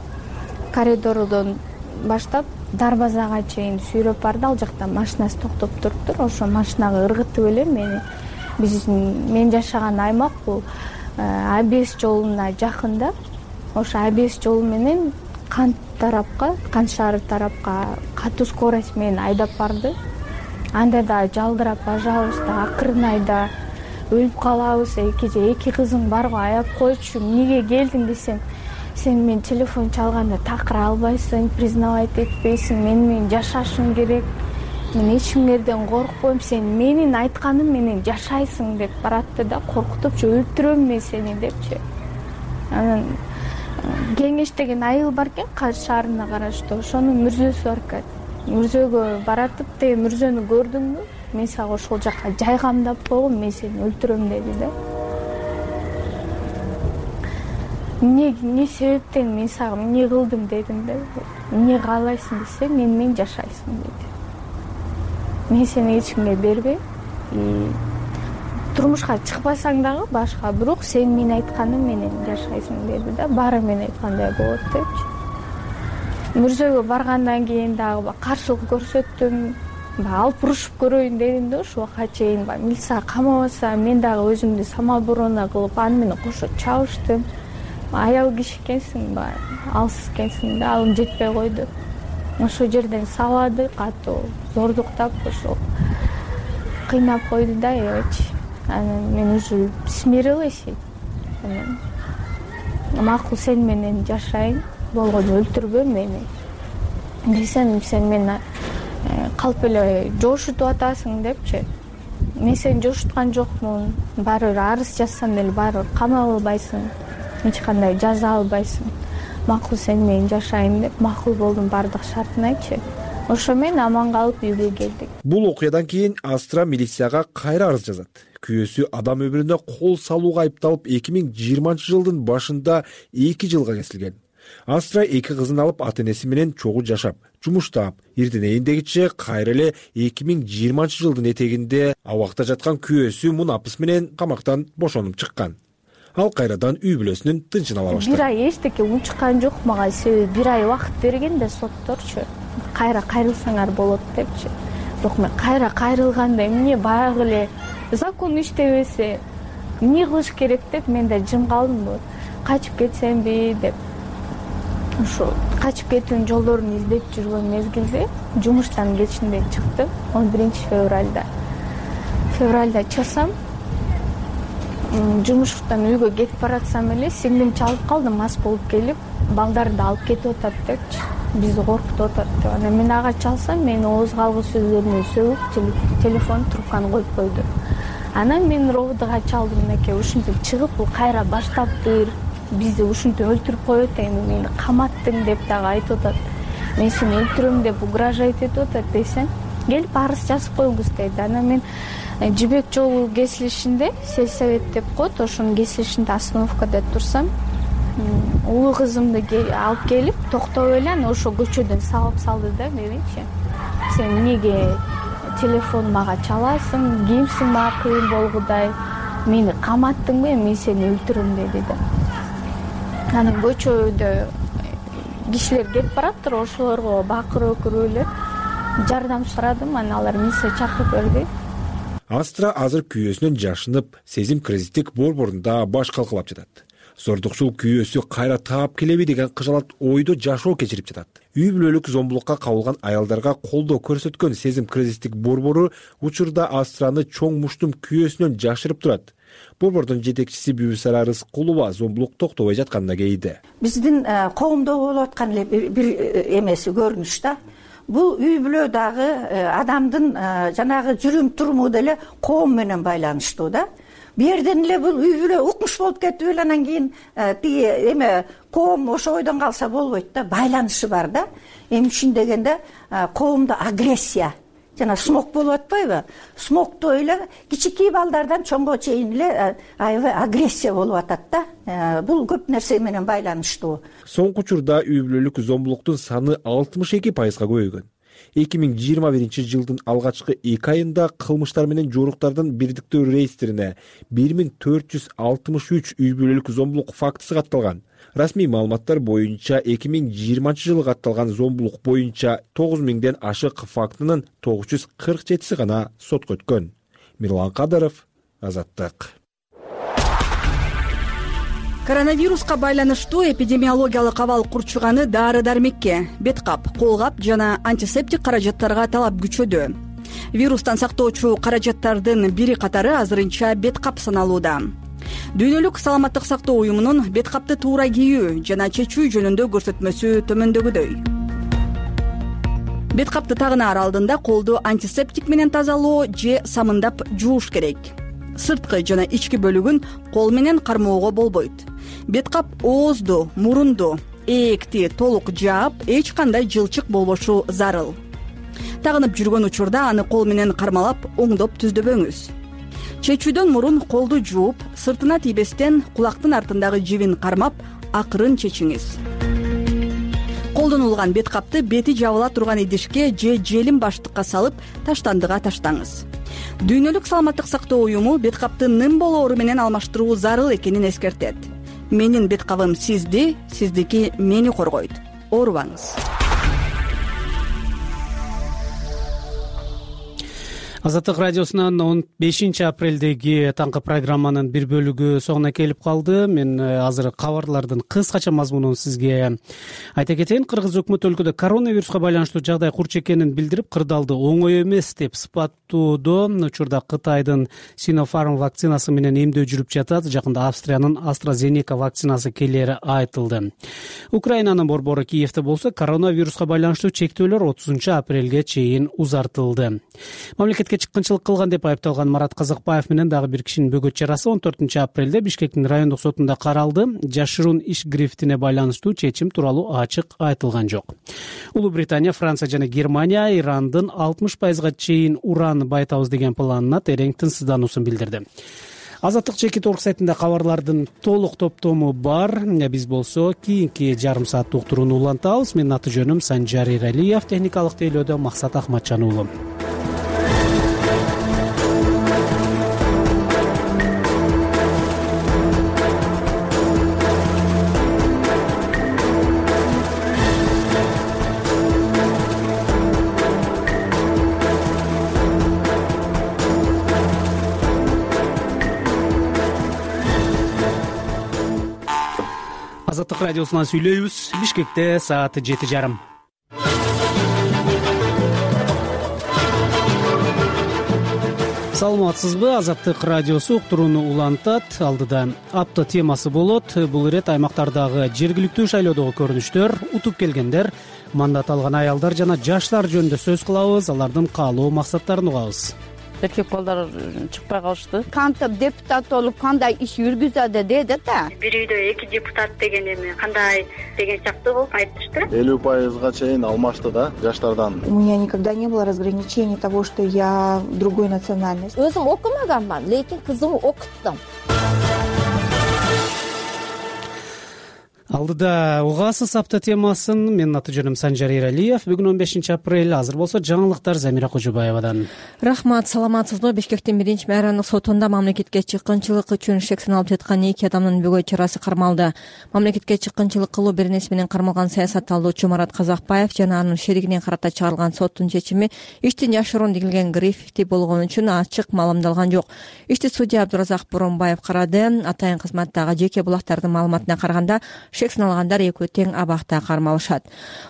коридордон баштап дарбазага чейин сүйрөп барды. Ал жакта машинасы токтоп туруптур. Ошо машинага ыргытып эле мени. Мен жашаган аймак бул АБС жолуна жакында. Ошо АБС жолу менен Кант шаары тарапка катуу скорость менен айдап барды. Анда да жалдырап бажабыз да, акырын айда, өлүп калабыз. Эки кызың бар го, аяп койчу. Эмнеге келдиң десем, сен мен телефон чалганда такыра албайсың, признавать этпейсиң, менен жашашым керек, мен эч кимдерден коркпойм, сен менин айтканым менен жашайсың деп баратты да, коркутупчу, өлтүрөм мен сени депчи. Анан Кеңеш деген айыл бар экен, Кант шаарына караштуу, ошонун мүрзөсү бар экен. Мүрзөгө баратып, тиги мүрзөнү көрдүңбү? Мен сага ошол жака жайгамдап койгом, мен сени өлтүрөм деди да. Эмне себептен мен сага эмне кылдым дедим да. Эмне каалайсың десе, менен жашайсың деди. Мен сени эч кимге бербейм. Турмушка чыкпасаң дагы башка, бирок сен менин айтканым менен жашайсың деди да. Баары мен айткандай болот депчи. Мүрзөгө баргандан кийин дагы каршылык көрсөттүм. Алып урушуп көрөйүн дедим да, ошо убакка чейин милиция камабаса, мен дагы өзүмдү самооборона кылып, аны менен кошо чабыштым. Аял киши экенсиң, алсыз экенсиң да, алым жетпей койду. Ошол жерден сабады, катуу зордуктап, ошо кыйнап койду да, эчи. Анан мен уже смирилась. Анан макул, сен менен жашайын, болгону өлтүрбө мени десем, сен мени калп эле жошутуп атасың депчи. Мен сени жошуткан жокмун, баары бир арыз жазсам деле баары бир камап албайсың, эч кандай жаза албайсың. Макул, сен менен жашайын деп макул болдум, баардык шартын айтчы. Ошо менен аман калып үйгө келдик. Бул окуядан кийин Астра милицияга кайра арыз жазат. Күйөөсү адам өмүрүнө кол салууга айыпталып 2020-жылдын башында 2 жылга кесилген. Астра 2 кызын алып ата энеси менен чогуу жашап, жумуштап, ирденейиндегиче кайра эле 2020-жылдын этегинде абакта жаткан күйөөсү Мунапыс менен камактан бошонуп чыккан. Ал кайрадан үй бүлөсүнүн тынчын ала баштады. Бир ай эчтеке унчуккан жок мага, себеби бир ай убакыт берген да сотторчу. Кайра кайрылсаңар болот депчи. Бирок мен кайра кайрылганда эмне баягы эле закон иштебесе эмне кылыш керек деп мен да жым калдым. Качып кетсемби деп. Ошо качып кетүүнүн жолдорун издеп жүргөн мезгилде жумуштан кечинде чыктым 11 февралда чыксам, жумуштан үйгө кетип баратсам эле сиңдим чалып калды, мас болуп келип, балдарды алып кетип атат депчи, бизди коркутуп атат деп. Анан мен ага чалсам, мени ооз калгы сөздөрүнө сөгүп, телефон трубканы коюп койду. Анан мен ровдга чалдым, мынакей ушинтип чыгып, бул кайра баштаптыр, бизди ушинтип өлтүрүп коет, эми мени каматтың деп дагы айтып атат. Мен сени өлтүрөм деп угрожать этип атат десем, келип арыз жазып коюңуз дейт. Анан мен Жибек жолу кесилишинде, сельсовет деп коет, ошонун кесилишинде остановкада турсам, улуу кызымды алып келип токтоп эле, анан ошо көчөдөн сабап салды да меничи. Сен эмнеге телефон мага чаласың, кимсиң мага кыйын болгудай, мени каматтыңбы, мен сени өлтүрөм деди да. Анан көчөдө кишилер кетип бараттыр, ошолорго бакырып өкүрүп эле жардам сурадым, анан алар милиция чакырып берди. Астра азыр күйөөсүнөн жашынып, сезим кризистик борборунда баш калкалап жатат. Зордукчул күйөөсү кайра таап келеби деген кыжалат ойдо жашоо кечирип жатат. Үй бүлөлүк зомбулукка кабылган аялдарга колдоо көрсөткөн сезим кризистик борбору учурда Астраны чоң муштум күйөөсүнөн жашырып турат. Борбордун жетекчиси Бүбүсара Рыскулова зомбулук токтобой жатканына кейди. Биздин коомдо болуп аткан эле бир эмеси көрүнүш да. Бул үй бүлө дагы адамдын жанагы жүрүм туруму деле коом менен байланыштуу да. Бу жерден эле бул үй бүлө укмуш болуп кетип эле анан кийин тиги эме коом ошо ойдон калса болбойт да, байланышы бар да. Эми үчүн дегенде коомдо агрессия жана смог болуп атпайбы? Смогто эле кичикей балдардан чоңго чейин эле аябай агрессия болуп атат да. Бул көп нерсе менен байланыштуу. Соңку учурда үй бүлөлүк зомбулуктун саны 62%га көбөйгөн. 2021-жылдын алгачкы 2 айында кылмыштар менен жоруктардын бирдиктүү реестрине 1463 үй бүлөлүк зомбулук фактысы катталган. Расмий маалыматтар боюнча 2020-жылы катталган зомбулук боюнча 9000ден ашык фактынын 947си гана сотко өткөн. Мирлан Кадыров, Азаттык. Коронавируска байланыштуу эпидемиологиялык абал курчуганы дары-дармекке, бет кап, кол кап жана антисептик каражаттарга талап күчөдү. Вирустан сактоочу каражаттардын бири катары азырынча бет кап саналууда. Дүйнөлүк саламаттык сактоо уюмунун бет капты туура кийүү жана чечүү жөнүндө көрсөтмөсү төмөндөгүдөй. Бет капты тагынаар алдында колду антисептик менен тазалоо же самындап жууш керек. Сырткы жана ички бөлүгүн кол менен кармоого болбойт. Бет кап оозду, мурунду, ээкти толук жаап, эч кандай жылчык болбошу зарыл. Тагынып жүргөн учурда аны кол менен кармалап, оңдоп түздөбөңүз. Чечүүдөн мурун колду жууп, сыртына тийбестен кулактын артындагы жибин кармап, акырын чечиңиз. Колдонулган бет капты бети жабыла турган идишке же желим баштыкка салып, таштандыга таштаңыз. Дүйнөлүк саламаттык сактоо уюму бет капты ным болоору менен алмаштыруу зарыл экенин эскертет. Менин бет кабым сизди, сиздики мени коргойт. Оорубаңыз. Азаттык радиосунан 15 апрелдеги таңкы программанын бир бөлүгү соңуна келип калды. Мен азыр кабарлардын кыскача мазмунун сизге айта кетейин. Кыргыз өкмөтү өлкөдө коронавируска байланыштуу жагдай курч экенин билдирип, кырдаалды оңой эмес деп сыпаттоодо. Учурда Кытайдын Sinopharm вакцинасы менен эмдөө жүрүп жатат. Жакында Австриянын AstraZeneca вакцинасы келери айтылды. Украинанын борбору Киевде болсо коронавируска байланыштуу чектөөлөр 30 апрелге чейин узартылды. Мамлекетке чыккынчылык кылган деп айыпталган Марат Казакбаев менен дагы бир кишинин бөгөт чарасы 14 апрелде Бишкектин райондук сотунда каралды. Жашыруун иш грифтине байланыштуу чечим тууралуу ачык айтылган жок. Улуу Британия, Франция жана Германия Ирандын 60%га чейин уран байытабыз деген планына терең тынчсыздануусун билдирди. Азаттык чекит орг сайтында кабарлардын толук топтому бар. Биз болсо кийинки жарым сааттык уктурууну улантабыз. Менин аты жөнүм Санжар Эралиев, техникалык тейлөөдө Максат Ахматжан уулу. Азаттык радиосунан сүйлөйбүз. Бишкекте саат 7:30. Саламатсызбы? Азаттык радиосу уктурууну улантат. Алдыда апта темасы болот. Бул ирет аймактардагы жергиликтүү шайлоодогу көрүнүштөр, утуп келгендер, мандат алган аялдар жана жаштар жөнүндө сөз кылабыз. Алардын каалоо максаттарын угабыз. Эркек балдар чыкпай калышты. Кантип депутат болуп кандай иш жүргүзөдү деди да. Бир үйдө 2 депутат деген эми кандай деген сыяктуу болуп айтышты. 50%га чейин алмашты да жаштардан. У меня никогда не было разграничений того, что я другой национальности. Өзүм окумаганмын, лекин кызымды окуттум. Алдыда угасыз апта темасын. Менин аты жөнүм Санжар Эралиев. Бүгүн 15 апрель. Азыр болсо жаңылыктар Замира Кожобаевадан. Рахмат, саламатсызбы? Бишкектин 1 майрандык сотунда мамлекетке чыккынчылык үчүн шек саналып жаткан 2 адамдын бөгөт чарасы кармалды. Мамлекетке чыккынчылык кылуу беренеси менен кармалган саясатталуучу Марат Казакбаев жана анын шеригине карата чыгарылган соттун чечими иштин жашыруун дегилген грифти болгон үчүн ачык маалымдалган жок. Ишти судья Абдуразак Боронбаев карады. Атайын кызматтагы жеке булактардын маалыматына караганда шек саналгандар экөө тең абакта кармалышат.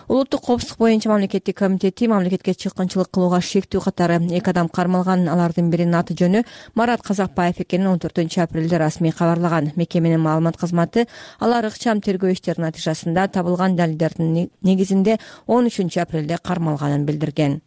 Улуттук коопсуздук боюнча мамлекеттик комитети мамлекетке чыккынчылык кылууга шектүү катары 2 адам кармалган. Алардын биринин аты жөнү Марат Казакбаев экенин 14 апрелде расмий кабарлаган. Мекеменин маалымат кызматы алар ыкчам тергөө иштеринин натыйжасында табылган далилдердин негизинде 13 апрелде кармалганын билдирген.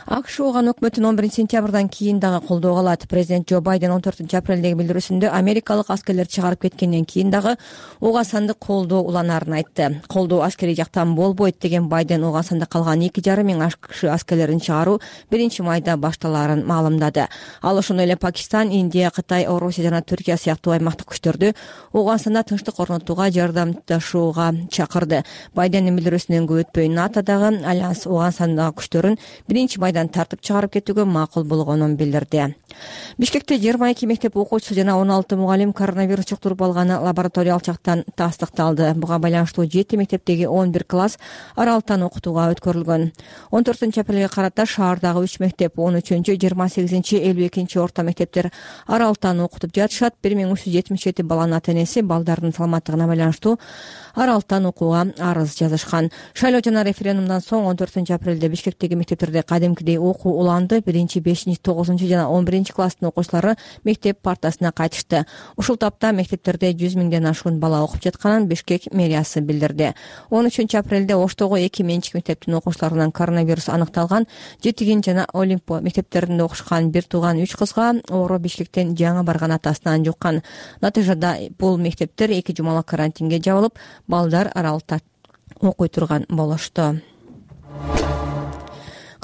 АКШ оған өкмөтүн 11 сентябрдан кийин дагы колдоого алат. Президент Джо Байден 14 апрелдеги билдирүүсүндө америкалык аскерлер чыгарып кеткенден кийин дагы ого сандык колдоо уланарын айтты. Колдоо аскерий жактан болбойт деген Байден ого санда калган 2,5 миң АКШ аскерлерин чыгаруу 1 майда башталаарын маалымдады. Ал ошондой эле Пакистан, Индия, Кытай, Орусия жана Түркия сыяктуу аймактык күчтөрдү ого санда тынчтык орнотууга жардамдашууга чакырды. Байдендин билдирүүсүнөн көп өтпөй НАТОдагы альянс ого сандагы күчтөрүн 1 майда тартып чыгарып кетүүгө макул болгонун билдирди. Бишкекте 22 мектеп окуучусу жана 16 мугалим коронавирус жуктуруп алганы лабораториялык жактан тастыкталды. Буга байланыштуу 7 мектептеги 11 класс аралыктан окутууга өткөрүлгөн. 14 апрелге карата шаардагы 3 мектеп 13, 28, 52 орто мектептер аралыктан окутуп жатышат. 1377 баланын ата-энеси балдардын саламаттыгына байланыштуу аралыктан окууга арыз жазышкан. Шайлоо жана референдумдан соң 14 апрелде Бишкектеги мектептерде кадимкидей окуу уланды. 1, 5, 9 жана 11 класстын окуучулары мектеп партасына кайтышты. Ушул тапта мектептерде 100 миңден ашуун бала окуп жатканын Бишкек мэриясы билдирди. 13 апрелде Оштогу 2 менчик мектептин окуучуларынан коронавирус аныкталган. Жетигин жана Олимпо мектептеринде окушкан бир тууган 3 кызга оору Бишкектен жаңы барган атасынан жуккан. Натыйжада бул мектептер 2 жумалык карантинге жабылып, балдар аралыкта окуй турган болушту.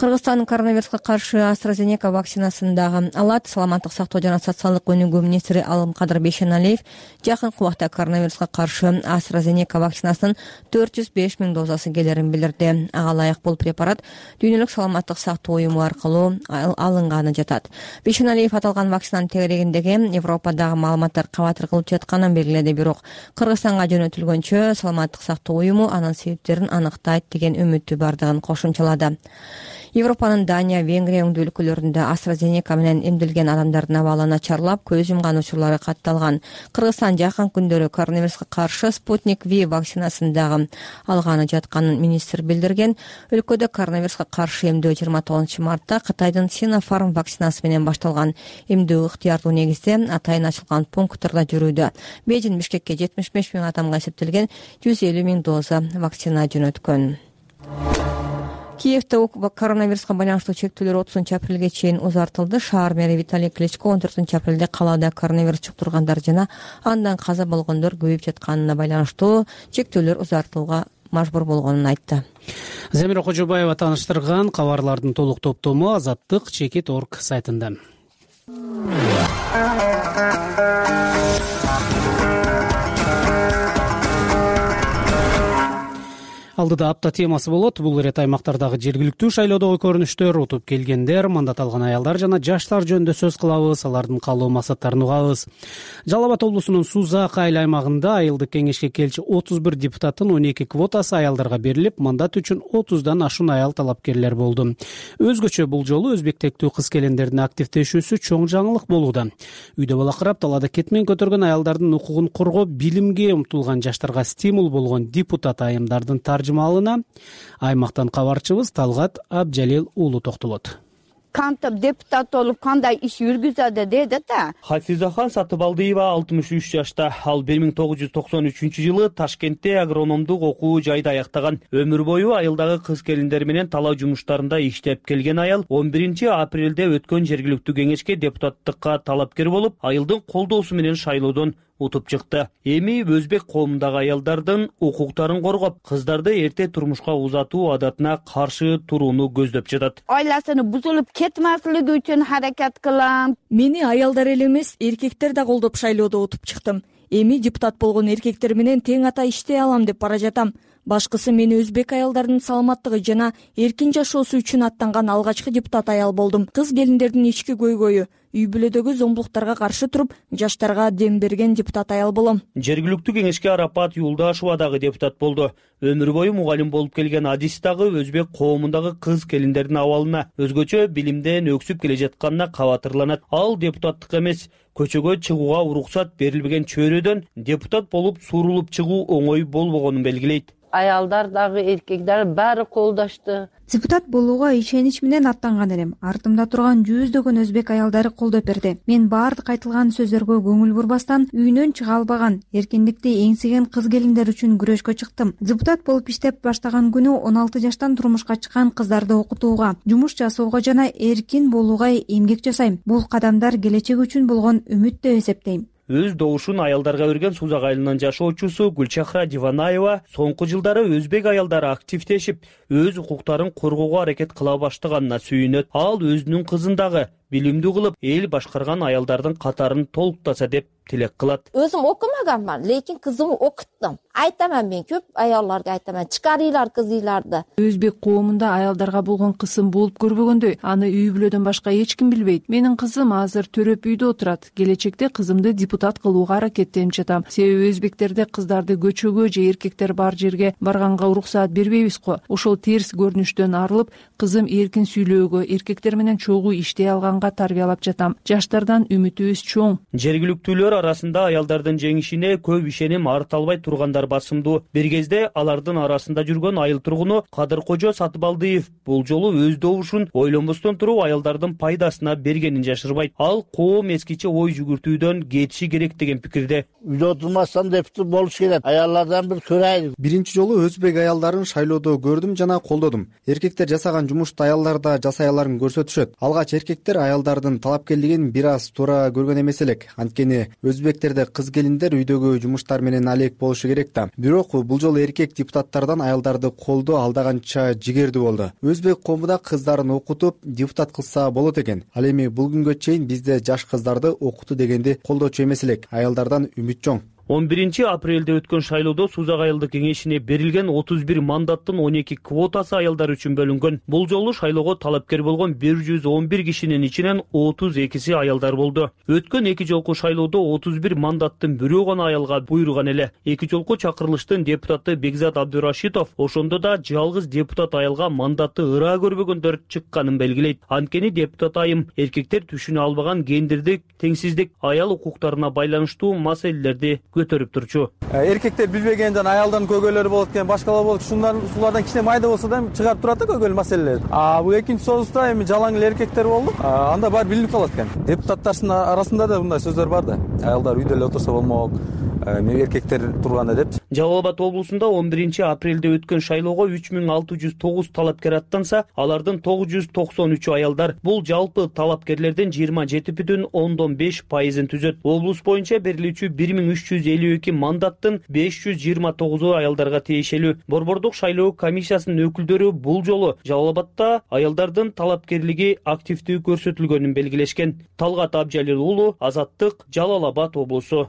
Кыргызстан коронавируска каршы AstraZeneca вакцинасын дагы алат. Саламаттык сактоо жана социалдык өнүгүү министри Алымкадыр Бейшеналиев жакынкы убакта коронавируска каршы AstraZeneca вакцинасынын 405 миң дозасы келерин билдирди. Ага ылайык бул препарат Дүйнөлүк саламаттык сактоо уюму аркылуу алынганы жатат. Бейшеналиев аталган вакцинанын тегерегиндеги Европадагы маалыматтар кабатыр кылып жатканын белгиледи. Бирок Кыргызстанга жөнөтүлгөнчө саламаттык сактоо уюму анын себептерин аныктайт деген үмүтү бардыгын кошумчалады. Европанын Дания, Венгрия өңдүү өлкөлөрүндө AstraZeneca менен эмделген адамдардын абалы начарлап, көз жумган учурлары катталган. Кыргызстан жакын күндөрү коронавируска каршы Sputnik V вакцинасын дагы алганы жатканын министр билдирген. Өлкөдө коронавируска каршы эмдөө 29 мартта Кытайдын Sinopharm вакцинасы менен башталган. Эмдөө ыктыярдуу негизде атайын ачылган пункттордо жүрүүдө. Бейжин Бишкекке 75 миң адамга эсептелген 150 миң доза вакцина жөнөткөн. Киевде коронавируска байланыштуу чектөөлөр 30 апрелге чейин узартылды. Шаар мэри Виталий Кличко 14 апрелде калаада коронавирус жуктургандар жана андан каза болгондор көбөйүп жатканына байланыштуу чектөөлөр узартууга мажбур болгонун айтты. Замира Кожобаева тааныштырган кабарлардын толук топтому Азаттык чекит орг сайтында. Алдыда апта темасы болот. Бул ирет аймактардагы жергиликтүү шайлоодогу көрүнүштөр, утуп келгендер, мандат алган аялдар жана жаштар жөнүндө сөз кылабыз, алардын каалоо максаттарын угабыз. Жалал Абад облусунун Сузак айыл аймагында айылдык кеңешке келчү 31 депутаттын 12 квотасы аялдарга берилип, мандат үчүн 30дан ашуун аял талапкерлер болду. Өзгөчө бул жолу өзбектектүү кыз-келиндердин активдешүүсү чоң жаңылык болууда. Үйдө балакырап, талаада кетмен көтөргөн аялдардын укугун коргоо, билимге умтулган жаштарга стимул болгон депутат айымдардын таржымалына аймактан кабарчыбыз Талгат Абжалил уулу токтолот. Кантип депутат болуп кандай иш жүргүзөдү деди да. Хафизахан Сатыбалдиева 63 жашта. Ал 1993-жылы Ташкентте агрономдук окуу жайды аяктаган. Өмүр бою айылдагы кыз-келиндер менен талаа жумуштарында иштеп келген аял 11 апрелде өткөн жергиликтүү кеңешке депутаттыкка талапкер болуп, айылдын колдоосу менен шайлоодон утуп чыкты. Эми өзбек коомундагы аялдардын укуктарын коргоп, кыздарды эрте турмушка узатуу адатына каршы турууну көздөп жатат. Айласыны бузулуп кетмеслиги үчүн аракет кылам. Мени аялдар эле эмес, эркектер да колдоп шайлоодо утуп чыктым. Эми депутат болгон эркектер менен тең ата иштей алам деп бара жатам. Башкысы мени өзбек аялдардын саламаттыгы жана эркин жашоосу үчүн аттанган алгачкы депутат аял болдум. Кыз-келиндердин ички көйгөйү, үй бүлөдөгү зомбулуктарга каршы туруп, жаштарга дем берген депутат аял болом. Жергиликтүү кеңешке Арапат Юлдашова дагы депутат болду. Өмүр бою мугалим болуп келген Адис дагы өзбек коомундагы кыз-келиндердин абалына, өзгөчө билимден өксүп келе жатканына кабатырланат. Ал депутаттык эмес, көчөгө чыгууга уруксат берилбеген чөйрөдөн депутат болуп сурулуп чыгуу оңой болбогонун белгилейт. Аялдар дагы эркектер баары колдошту. Депутат болууга ишенич менен аттанган элем. Артымда турган жүздөгөн өзбек аялдары колдоп берди. Мен баардык айтылган сөздөргө көңүл бурбастан үйүнөн чыга албаган, эркиндикти эңсеген кыз-келиндер үчүн күрөшкө чыктым. Депутат болуп иштеп баштаган күнү 16 жаштан турмушка чыккан кыздарды окутууга, жумуш жасоого жана эркин болууга эмгек жасайм. Бул кадамдар келечек үчүн болгон үмүт деп эсептейм. Өз добушун аялдарга берген Сузак айылынын жашоочусу Гүлчахра Диванаева соңку жылдары өзбек аялдары активдешип, өз укуктарын коргоого аракет кыла баштаганына сүйүнөт. Ал өзүнүн кызын дагы билимдүү кылып, эл башкарган аялдардын катарын толуктаса деп тилек кылат. Өзүм окумаганмын, лекин кызымды окуттум. Айтаман, мен көп аялдарга айтаман, чыгарыйлар кызыйларды. Өзбек коомунда аялдарга болгон кысым болуп көрбөгөндөй, аны үй бүлөдөн башка эч ким билбейт. Менин кызым азыр төрөп үйдө отурат. Келечекте кызымды депутат кылууга аракеттенип жатам. Себеби өзбектерде кыздарды көчөгө же эркектер бар жерге барганга уруксаат бербейбиз го. Ошол терс көрүнүштөн арылып, кызым эркин сүйлөөгө, эркектер менен чогуу иштей алганга тарбиялап жатам. Жаштардан үмүтүбүз чоң. Жергиликтүүлөр арасында аялдардын жеңишине көп ишеним арта албай тургандар басымдуу. Бир кезде алардын арасында жүргөн айыл тургуну Кадыркожо Сатыбалдиев бул жолу өз добушун ойлонбостон туруп аялдардын пайдасына бергенин жашырбайт. Ал коом эскиче ой жүгүртүүдөн кетиши керек деген пикирде. Үйдө отурмастан депутат болуш керек. Аялдардан бир көрайлы. Биринчи жолу өзбек аялдарын шайлоодо көрдүм жана колдодум. Эркектер жасаган жумушту аялдар да жасай аларын көрсөтүшөт. Алгач эркектер аялдардын талапкерлигин бир аз туура көргөн эмес элек. Анткени өзбектерде кыз-келиндер үйдөгү жумуштар менен алек болушу керек да. Бирок бул жолу эркек депутаттардан аялдарды колдоо алдаганча жигердүү болду. Өзбек коому да кыздарын окутуп, депутат кылса болот экен. Ал эми бул күнгө чейин бизде жаш кыздарды окутуу дегенди колдоочу эмес элек. Аялдардан үмүт чоң. 11 апрелде өткөн шайлоодо Сузак айылдык кеңешине берилген 31 мандаттын 12 квотасы аялдар үчүн бөлүнгөн. Бул жолу шайлоого талапкер болгон 111 кишинин ичинен 32си аялдар болду. Өткөн эки жолку шайлоодо 31 мандаттын бирөө гана аялга буйруган эле. Эки жолку чакырылыштын депутаты Бекзат Абдурашитов ошондо да жалгыз депутат аялга мандатты ыраа көрбөгөндөр чыкканын белгилейт. Анткени депутат айым эркектер түшүнө албаган гендердик теңсиздик, аял укуктарына байланыштуу маселелерди көтөрүп турчу. Эркектер билбеген жана аялдардын көйгөйлөрү болот экен, башкалар болот. Шулардан кичине майда болсо да чыгарып турат да көйгөйлүү маселелерди. Бул экинчи созусда эми жалаң эле эркектер болду. Анда баары билинип калат экен. Депутаттардын арасында да мындай сөздөр бар да. Аялдар үйдө эле отурса болмок. Эркектер турганда деп. Жалал Абад облусунда 11 апрелде өткөн шайлоого 3609 талапкер аттанса, алардын 993 аялдар. Бул жалпы талапкерлердин 27,5% түзөт. Облус боюнча берилүүчү 1350 452 мандаттын 529 аялдарга тиешелүү. Борбордук шайлоо комиссиясынын өкүлдөрү бул жолу Жалал Абадда аялдардын талапкерлиги активдүү көрсөтүлгөнүн белгилешкен. Талгат Абжалил уулу, Азаттык, Жалал Абад облусу.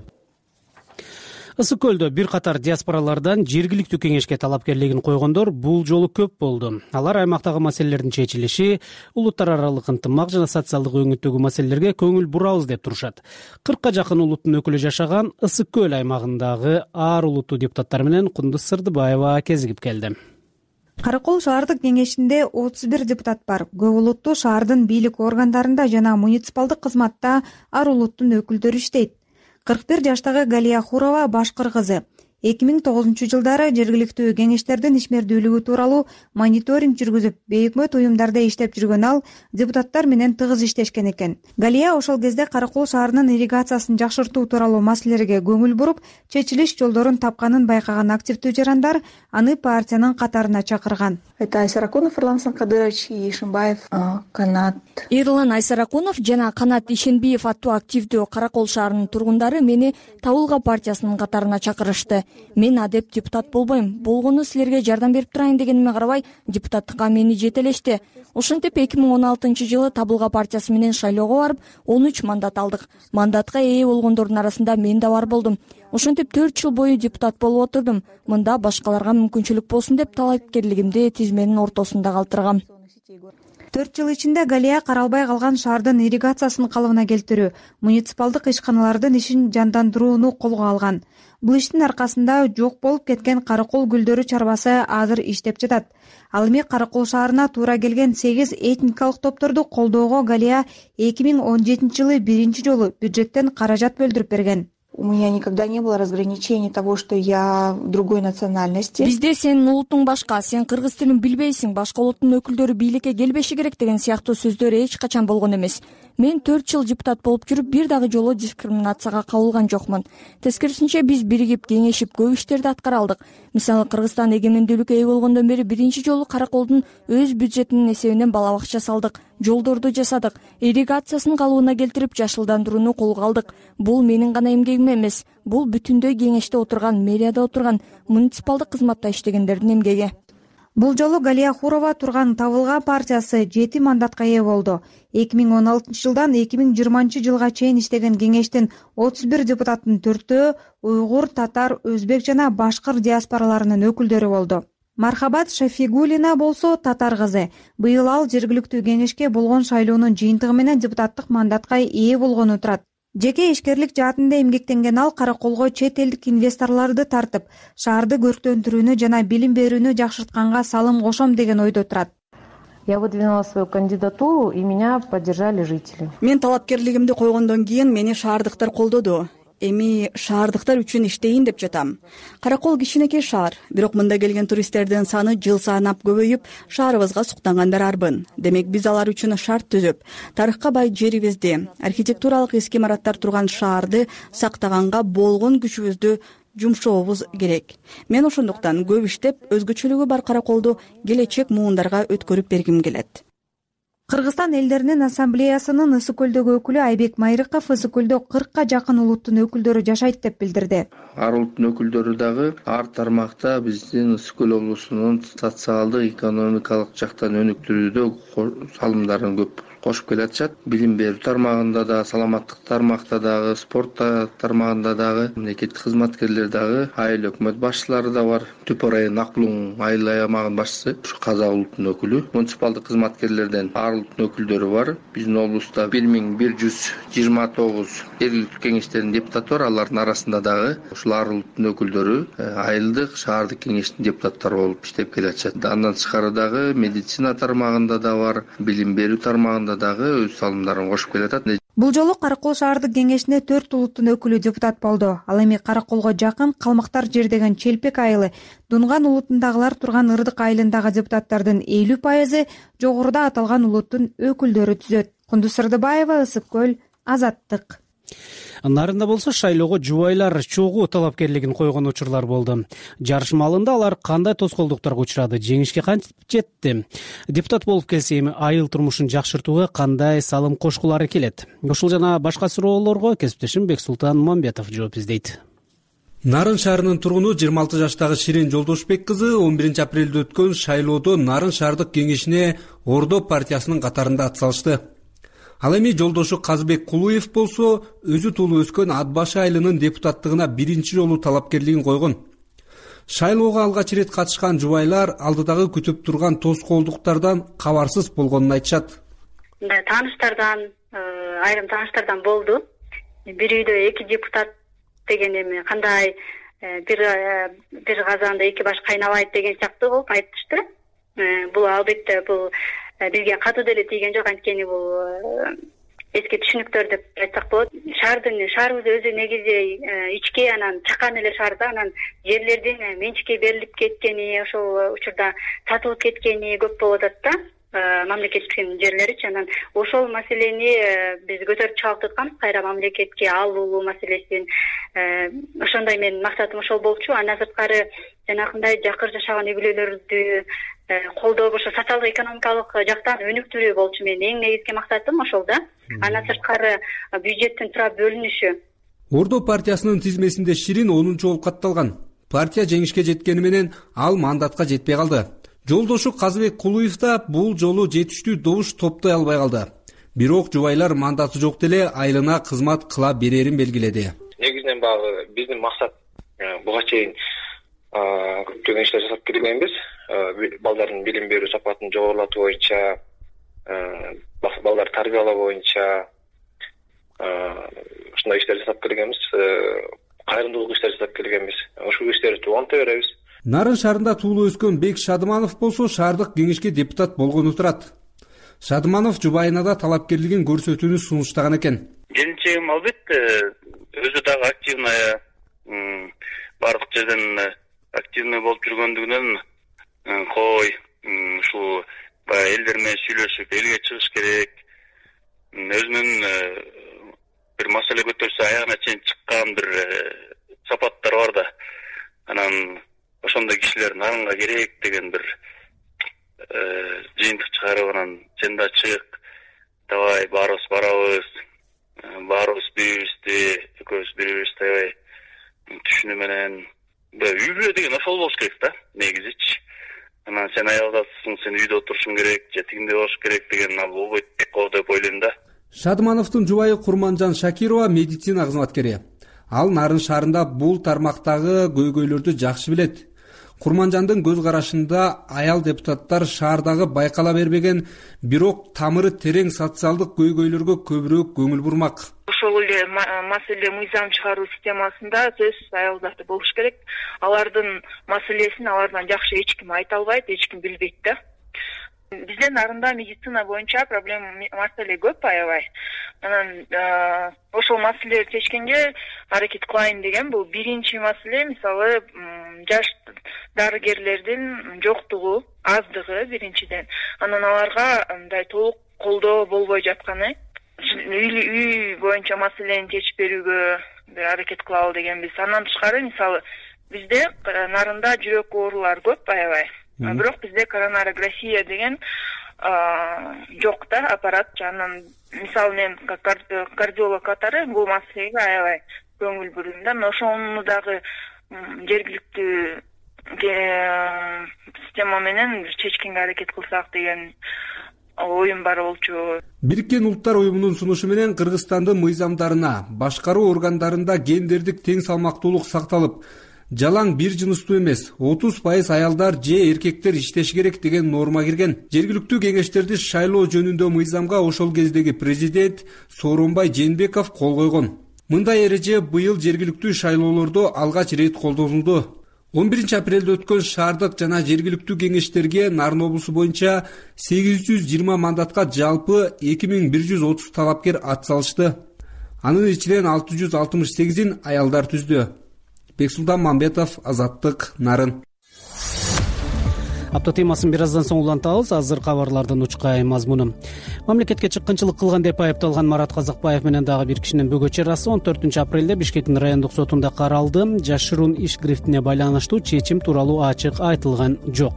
Ысык көлдө бир катар диаспоралардан жергиликтүү кеңешке талапкерлигин койгондор бул жолу көп болду. Алар аймактагы маселелердин чечилиши, улуттар аралык ынтымак жана социалдык өңүттөгү маселелерге көңүл бурабыз деп турушат. 40ка жакын улуттун өкүлү жашаган Ысык көл аймагындагы ар улуттуу депутаттар менен Кундуз Сырдыбаева кезигип келди. Каракол шаардык кеңешинде 31 депутат бар. Көп улуттуу шаардын бийлик органдарында жана муниципалдык кызматта ар улуттун өкүлдөрү иштейт. 41 жаштагы Галия Хурова башкыр кызы. 2009 жылдары жергиликтүү кеңештердин ишмердүүлүгү тууралуу мониторинг жүргүзүп, бейөкмөт уюмдарда иштеп жүргөн ал депутаттар менен тыгыз иштешкен экен. Галия ошол кезде Каракол шаарынын ирригациясын жакшыртуу тууралуу маселелерге көңүл буруп, чечилиш жолдорун тапканын байкаган активдүү жарандар аны партиянын катарына чакырган. Это Айсаракунов Эрлан Санкадырович и Ишимбаев, Канат. Эрлан Айсаракунов жана Канат Ишенбиев аттуу активдүү Каракол шаарынын тургундары мени Табылга партиясынын катарына чакырышты. Мен адеп депутат болбойм. Болгону силерге жардам берип турайын дегениме карабай, депутаттыкка мени жетелешти. Ошентип 2016 жылы Табылга партиясы менен шайлоого барып, 13 мандат алдык. Мандатка ээ болгондордун арасында мен да бар болдум. Ошентип 4 жыл бою депутат болуп отурдум. Мында башкаларга мүмкүнчүлүк болсун деп талапкерлигимди тизменин ортосунда калтыргам. 4 жыл ичинде Галия каралбай калган шаардын ирригациясын калыбына келтирүү, муниципалдык ишканалардын ишин жандандырууну колго алган. Бул иштин аркасында жок болуп кеткен Каракол гүлдөрү чарбасы азыр иштеп жатат. Ал эми Каракол шаарына туура келген 8 этникалык топторду колдоого Галия 2017 жылы биринчи жолу бюджеттен каражат бөлдүрүп берген. У меня никогда не было разграничений того, что я другой национальности. Бизде сенин улутуң башка, сен кыргыз тилин билбейсиң, башка улуттун өкүлдөрү бийликке келбеши керек деген сыяктуу сөздөр эч качан болгон эмес. Мен 4 жыл депутат болуп жүрүп, бир дагы жолу дискриминацияга кабылган жокмун. Тескерисинче биз биригип, кеңешип көп иштерди аткара алдык. Мисалы, Кыргызстан эгемендүүлүккө ээ болгондон бери биринчи жолу Караколдун өз бюджетинин эсебинен бала бакча салдык, жолдорду жасадык, ирригациясын калыбына келтирип, жашылдандырууну колго алдык. Бул менин гана эмгегим эмес, бул бүтүндөй кеңеште отурган, мэрияда отурган, муниципалдык кызматта иштегендердин эмгеги. Бул жолу Галия Хурова турган Табылга партиясы 7 мандатка ээ болду. 2016 жылдан 2020 жылга чейин иштеген кеңештин 31 депутаттын 4-өө уйгур, татар, өзбек жана башкыр диаспораларынын өкүлдөрү болду. Мархабат Шафигулина болсо татар кызы. Быйыл ал жергиликтүү кеңешке болгон шайлоонун жыйынтыгы менен депутаттык мандатка ээ болгону турат. Жеке ишкерлик жаатында эмгектенген ал Караколго чет элдик инвесторлорду тартып, шаарды көрктөндүрүүнү жана билим берүүнү жакшыртканга салым кошом деген ойдо турат. Я выдвинула свою кандидатуру, и меня поддержали жители. Мен талапкерлигимди койгондон кийин мени шаардыктар колдоду. Эми шаардыктар үчүн иштейин деп жатам. Каракол кичинекей шаар, бирок мында келген туристтердин саны жыл санап көбөйүп, шаарыбызга суктангандар арбын. Демек биз алар үчүн шарт түзүп, тарыхка бай жерибизди, архитектуралык эски имараттар турган шаарды сактаганга болгон күчүбүздү жумшообуз керек. Мен ошондуктан көп иштеп, өзгөчөлүгү бар Караколду келечек муундарга өткөрүп бергим келет. Кыргызстан элдеринин ассамблеясынын Ысык көлдөгү өкүлү Айбек Майрыков Ысык көлдө 40ка жакын улуттун өкүлдөрү жашайт деп билдирди. Ар улуттун өкүлдөрү дагы ар тармакта биздин Ысык көл облусунун социалдык, экономикалык жактан өнүктүрүүдө салымдарын көп кошуп келатышат. Билим берүү тармагында да, саламаттык тармакта дагы, спорт тармагында дагы, мамлекеттик кызматкерлер дагы, айыл өкмөт башчылары да бар. Түпө район Акбулуң айыл аймагынын башчысы, ушу Казак улутунун өкүлү, муниципалдык кызматкерлерден ар улуттун өкүлдөрү бар. Биздин облуста 1129 жергиликтүү кеңештердин депутаты бар. Алардын арасында дагы ушул ар улуттун өкүлдөрү айылдык, шаардык кеңештин депутаттары болуп иштеп келатышат. Андан тышкары дагы медицина тармагында да бар, билим берүү тармагында дагы өз салымдарын кошуп келатат. Бул жолу Каракол шаардык кеңешине 4 улуттун өкүлү депутат болду. Ал эми Караколго жакын Калмактар жердеген Челпек айылы, Дунган улутундагылар турган Ырдык айылындагы депутаттардын 50% жогоруда аталган улуттун өкүлдөрү түзөт. Кундуз Сырдыбаева, Ысык көл, Азаттык. Нарында болсо шайлоого жубайлар чогуу талапкерлигин койгон учурлар болду. Жарыш маалында алар кандай тоскоолдуктарга учурады, жеңишке кантип жетти? Депутат болуп келсе эми айыл турмушун жакшыртууга кандай салым кошкулары келет? Ушул жана башка суроолорго кесиптешим Бексултан Мамбетов жооп издейт. Нарын шаарынын тургуну 26 жаштагы Ширин Жолдошбек кызы 11 апрелде өткөн шайлоодо Нарын шаардык кеңешине Ордо партиясынын катарында ат салышты. Ал эми жолдошу Казбек Кулуев болсо өзү туулуп өскөн Ат башы айылынын депутаттыгына биринчи жолу талапкерлигин койгон. Шайлоого алгач ирет катышкан жубайлар алдыдагы күтүп турган тоскоолдуктардан кабарсыз болгонун айтышат. Тааныштардан, айрым тааныштардан болду. Бир үйдө 2 депутат деген эми кандай бир казанда 2 баш кайнабайт деген сыяктуу болуп айтышты. Бул албетте бул бизге катуу деле тийген жок, анткени бул эски түшүнүктөр деп айтсак болот. Шаарыбыз өзү негизи ички, анан чакан эле шаарда, анан жерлердин менчикке берилип кеткени, ошол учурда сатылып кеткени көп болуп атат да. Мамлекеттин жерлеричи, анан ошол маселени биз көтөрүп чыгып атканбыз, кайра мамлекетке алуу маселесин. Ошондой менин максатым ошол болчу. Андан сырткары жанагындай жакыр жашаган үй бүлөлөрдү колдоо, ошо социалдык экономикалык жактан өнүктүрүү болчу менин эң негизги максатым ошол да. Андан сырткары бюджеттин тура бөлүнүшү. Ордо партиясынын тизмесинде Ширин 10-чу болуп катталган. Партия жеңишке жеткени менен ал мандатка жетпей калды. Жолдошу Казбек Кулуев да бул жолу жетиштүү добуш топтой албай калды. Бирок жубайлар мандаты жок деле айылына кызмат кыла берерин белгиледи. Негизинен баягы биздин максат буга чейин көптөгөн иштер жасап келгенбиз. Балдардын билим берүү сапатын жогорулатуу боюнча, балдар тарбиялоо боюнча ушундай иштер жасап келгенбиз. Кайрымдуулук иштер жасап келгенбиз. Ушул иштерди уланта беребиз. Нарын шаарында туулуп өскөн Бек Шадыманов болсо шаардык кеңешке депутат болгону турат. Шадыманов жубайына да талапкерлигин көрсөтүүнү сунуштаган экен. Келинчегим албетте өзү дагы активный, бардык жерден активный болуп жүргөндүгүнөн кой ушул элдер менен сүйлөшүп элге чыгыш керек. Өзүнүн бир маселе көтөрсө аягына чейин чыккан бир сапаттар бар да. Анан ошондой кишилер Нарынга керек деген бир жыйынтык чыгарып, анан сен да чык, давай баарыбыз барабыз, баарыбыз бирибизди, экөөбүз бирибизди аябай түшүнүү менен үй бүлө деген ошол болуш керек да, негизичи. Анан сен аялдасың, сен үйдө отурушуң керек, же тигиндей болуш керек деген болбойт деп ойлойм да. Шадымановдун жубайы Курманжан Шакирова медицина кызматкери. Ал Нарын шаарында бул тармактагы көйгөйлөрдү жакшы билет. Курманжандын көз карашында аял депутаттар шаардагы байкала бербеген, бирок тамыры терең социалдык көйгөйлөргө көбүрөөк көңүл бурмак. Ошол эле маселе мыйзам чыгаруу системасында сөзсүз аялдар болуш керек. Алардын маселесин алардан жакшы эч ким айта албайт, эч ким билбейт да. Бизде Нарында медицина боюнча проблема маселе көп аябай. Анан ошол маселени чечкенге аракет кылайын деген бул биринчи маселе. Мисалы, жаш дарыгерлердин жоктугу, аздыгы биринчиден. Анан аларга мындай толук колдоо болбой жатканы. Үй боюнча маселени чечип берүүгө бир аракет кылалы дегенбиз. Андан тышкары, мисалы, бизде Нарында жүрөк оорулары көп аябай. Бирок бизде коронарография деген жок да, аппарат. Анан мисалы мен кардиолог катары бул маселеге аябай көңүл бурдум да. Ошону дагы жергиликтүү система менен чечкенге аракет кылсак деген оюм бар болчу. Бириккен Улуттар уюмунун сунушу менен Кыргызстандын мыйзамдарына, башкаруу органдарында гендердик тең салмактуулук сакталып, жалаң бир жыныстуу эмес 30% аялдар же эркектер иштеши керек деген норма кирген. Жергиликтүү кеңештерди шайлоо жөнүндө мыйзамга ошол кездеги президент Сооронбай Жээнбеков кол койгон. Мындай эреже быйыл жергиликтүү шайлоолордо алгач ирет колдонулду. 11 апрелде өткөн шаардык жана жергиликтүү кеңештерге Нарын облусу боюнча 820 мандатка жалпы 2130 талапкер ат салышты. Анын ичинен 668-ин аялдар түздү. Бексултан Мамбетов, Азаттык, Нарын. Апта темасын бир аздан соң улантабыз. Азыр кабарлардын учкай мазмуну. Мамлекетке чыккынчылык кылган деп айыпталган Марат Казакбаев менен дагы бир кишинин бөгө чарасы 14 апрелде Бишкектин райондук сотунда каралды. Жашыруун иш грифтине байланыштуу чечим тууралуу ачык айтылган жок.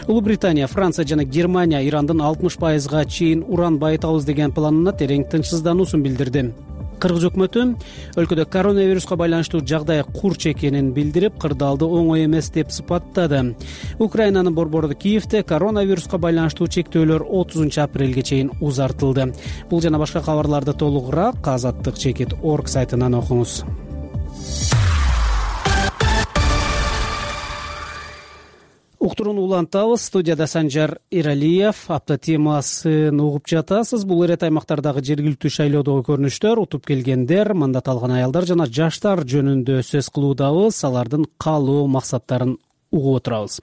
Улуу Британия, Франция жана Германия Ирандын 60%га чейин уран байытабыз деген планына терең тынчсыздануусун билдирди. Кыргыз өкмөтү өлкөдө коронавируска байланыштуу жагдай курч экенин билдирип, кырдаалды оңой эмес деп сыпаттады. Украинанын борбору Киевде коронавируска байланыштуу чектөөлөр 30 апрелге чейин узартылды. Бул жана башка кабарларды толугураак azatdыкчекит.org сайтынан окуңуз. Уктурууну улантабыз. Студияда Санжар Иралиев. Апта темасын угуп жатасыз. Бул эрет аймактардагы жергиликтүү шайлоодогу көрүнүштөр, утуп келгендер, мандат алган аялдар жана жаштар жөнүндө сөз кылуудабыз. Алардын каалоо максаттарын угуп отурабыз.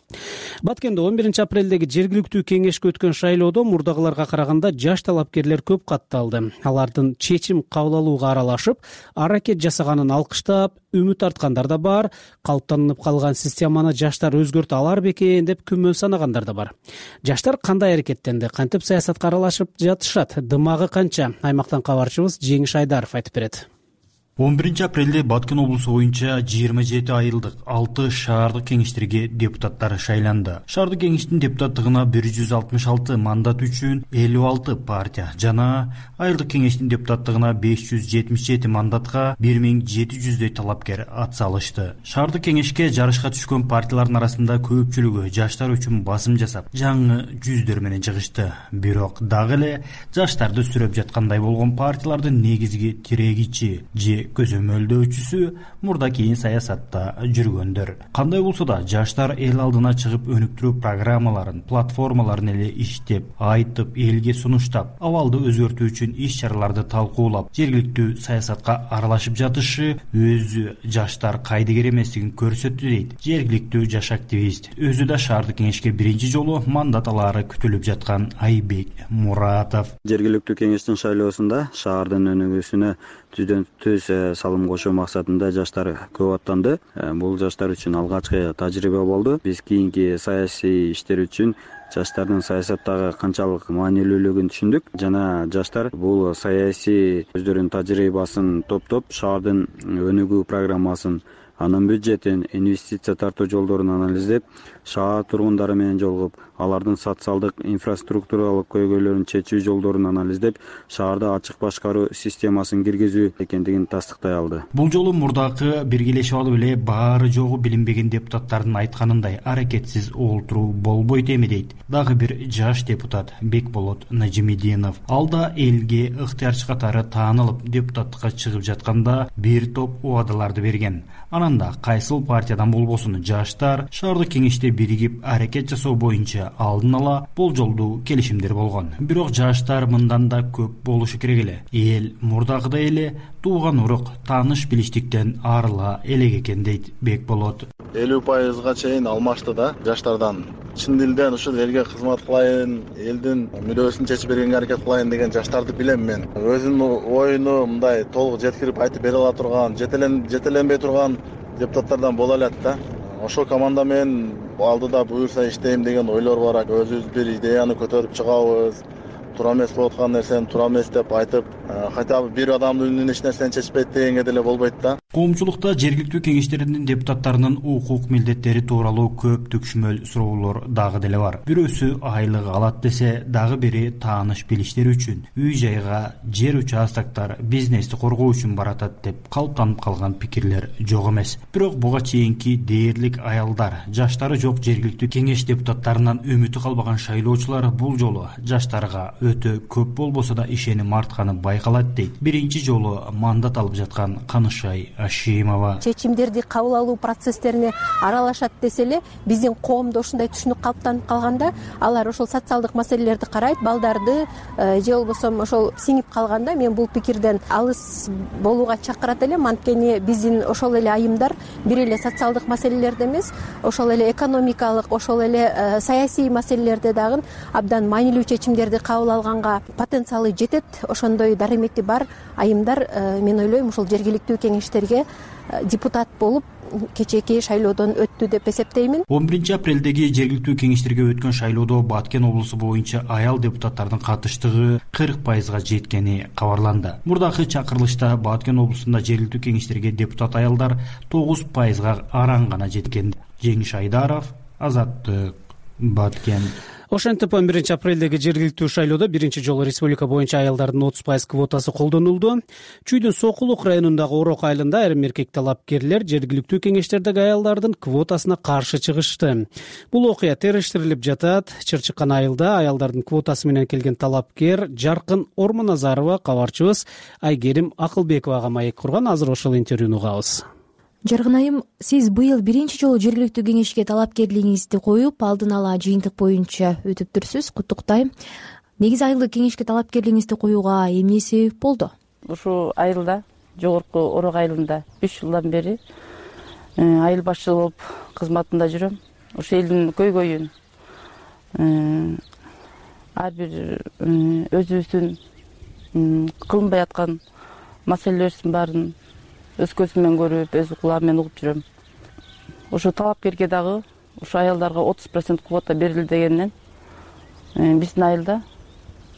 Баткенде 11 апрелдеги жергиликтүү кеңешке өткөн шайлоодо мурдагыларга караганда жаш талапкерлер көп катталды. Алардын чечим кабыл алууга аралашып, аракет жасаганын алкыштап, үмүт арткандар да бар. Калыптанып калган системаны жаштар өзгөртө алар бекен деп күмөн санагандар да бар. Жаштар кандай аракеттенди, кантип саясатка аралашып жатышат, дымагы канча? Аймактан кабарчыбыз Жеңиш Айдаров айтып берет. 11 апрелде Баткен облусу боюнча 27 айылдык 6 шаардык кеңештерге депутаттар шайланды. Шаардык кеңештин депутаттыгына 166 мандат үчүн 56 партия жана айылдык кеңештин депутаттыгына 577 мандатка 1700дөй талапкер ат салышты. Шаардык кеңешке жарышка түшкөн партиялардын арасында көпчүлүгү жаштар үчүн басым жасап, жаңы жүздөр менен чыгышты. Бирок дагы эле жаштарды сүрөп жаткандай болгон партиялардын негизги тирегичи же көзөмөлдөөчүсү мурда кийин саясатта жүргөндөр. Кандай болсо да жаштар эл алдына чыгып өнүктүрүү программаларын, платформаларын эле иштеп, айтып, элге сунуштап, абалды өзгөртүү үчүн иш-чараларды талкуулап, жергиликтүү саясатка аралашып жатышы өзү жаштар кайдыгер эместигин көрсөттү дейт жергиликтүү жаш активист. Өзү да шаардык кеңешке биринчи жолу мандат алаары күтүлүп жаткан Айбек Муратов. Жергиликтүү кеңештин шайлоосунда шаардын өнүгүүсүнө түз салым кошуу максатында жаштар көп аттанды. Бул жаштар үчүн алгачкы тажрыйба болду. Биз кийинки саясий иштер үчүн жаштардын саясаттагы канчалык маанилүүлүгүн түшүндүк жана жаштар бул саясий өздөрүнүн тажрыйбасын топтоп, шаардын өнүгүү программасын, анын бюджетин, инвестиция тартуу жолдорун анализдеп, шаар тургундары менен жолугуп, алардын социалдык инфраструктуралык көйгөйлөрүн чечүү жолдорун анализдеп, шаарда ачык башкаруу системасын киргизүү экендигин тастыктай алды. Бул жолу мурдакы биргелешип алып эле баары жогу билинбеген депутаттардын айтканындай аракетсиз олтуруу болбойт эми дейт дагы бир жаш депутат Бекболот Нажимидинов. Ал да элге ыктыярчы катары таанылып депутаттыкка чыгып жатканда бир топ убадаларды берген. Анан да кайсыл партиядан болбосун жаштар шаардык кеңеште биригип аракет жасоо боюнча алдын ала болжолдуу келишимдер болгон. Бирок жаштар мындан да көп болушу керек эле. Эл мурдагыдай эле тууган урук, тааныш билиштиктен арыла элек экен дейт Бекболот. 50% чейин алмашты да жаштардан. Чын дилден ушул элге кызмат кылайын, элдин мүдөөсүн чечип бергенге аракет кылайын деген жаштарды билем мен. Өзүнүн оюну мындай толук жеткирип айтып бере ала турган, жетеленбей турган депутаттардан боло алат да. Ошол команда менен алдыда буюрса иштейм деген ойлор бар. Өзүбүз бир идеяны көтөрүп чыгабыз. Туура эмес болуп аткан нерсени туура эмес деп айтып, хотя бы бир адамдын үнүнөн эч нерсени чечпейт дегенге деле болбойт да. Коомчулукта жергиликтүү кеңештердин депутаттарынын укук милдеттери тууралуу көп түкшмөл суроолор дагы деле бар. Бирөөсү айлык алат десе, дагы бири тааныш билиштер үчүн, үй жайга, жер участактар, бизнести коргоо үчүн баратат деп калыптанып калган пикирлер жок эмес. Бирок буга чейинки дээрлик аялдар, жаштары жок жергиликтүү кеңеш депутаттарынан үмүтү калбаган шайлоочулар бул жолу жаштарга өтө көп болбосо да ишеним артканы байкалат дейт биринчи жолу мандат алып жаткан Канышай Ашимова. Чечимдерди кабыл алуу процесстерине аралашат десе эле, биздин коомдо ушундай түшүнүк калыптанып калганда, алар ошол социалдык маселелерди карайт, балдарды же болбосо ошол сиңип калганда, мен бул пикирден алыс болууга чакырат элем. Анткени биздин ошол эле айымдар бир эле социалдык маселелерде эмес, ошол эле экономикалык, ошол эле саясий маселелерде дагы абдан маанилүү чечимдерди кабыл алганга потенциалы жетет. Ошондой дарымети бар айымдар, мен ойлойм, ушул жергиликтүү кеңештерге депутат болуп кечээки шайлоодон өттү деп эсептеймин. 11 апрелдеги жергиликтүү кеңештерге өткөн шайлоодо Баткен облусу боюнча аял депутаттардын катыштыгы 40%га жеткени кабарланды. Мурдакы чакырылышта Баткен облусунда жергиликтүү кеңештерге депутат аялдар 9%га араң гана жеткен. Жеңиш Айдаров, Азаттык, Баткен. Ошентип 1-апрелдеги жергиликтүү шайлоодо биринчи жолу республика боюнча аялдардын 30% квотасы колдонулду. Чүйдүн Сокулук районундагы Орок айылында айрым эркек талапкерлер жергиликтүү кеңештердеги аялдардын квотасына каршы чыгышты. Бул окуя териштирилип жатат. Чырчыккан айылда аялдардын квотасы менен келген талапкер Жаркын Ормоназарова кабарчыбыз Айгерим Акылбековага маек курган. Азыр ошол интервьюну угабыз. Жаркын айым, сиз быйыл биринчи жолу жергиликтүү кеңешке талапкерлигиңизди коюп, алдын ала жыйынтык боюнча өтүптүрсүз. Куттуктайм. Негизи айылдык кеңешке талапкерлигиңизди коюуга эмне себеп болду? Ушул айылда, жогорку Орок айылында 3 жылдан бери айыл башчысы болуп кызматында жүрөм. Ошол элдин көйгөйүн ар бир өзүбүздүн кылынбай аткан маселелерибиздин баарын өз көзүм менен көрүп, өз кулагым менен угуп жүрөм. Ошо талапкерге дагы ошо аялдарга 30% квота берилди дегенден биздин айылда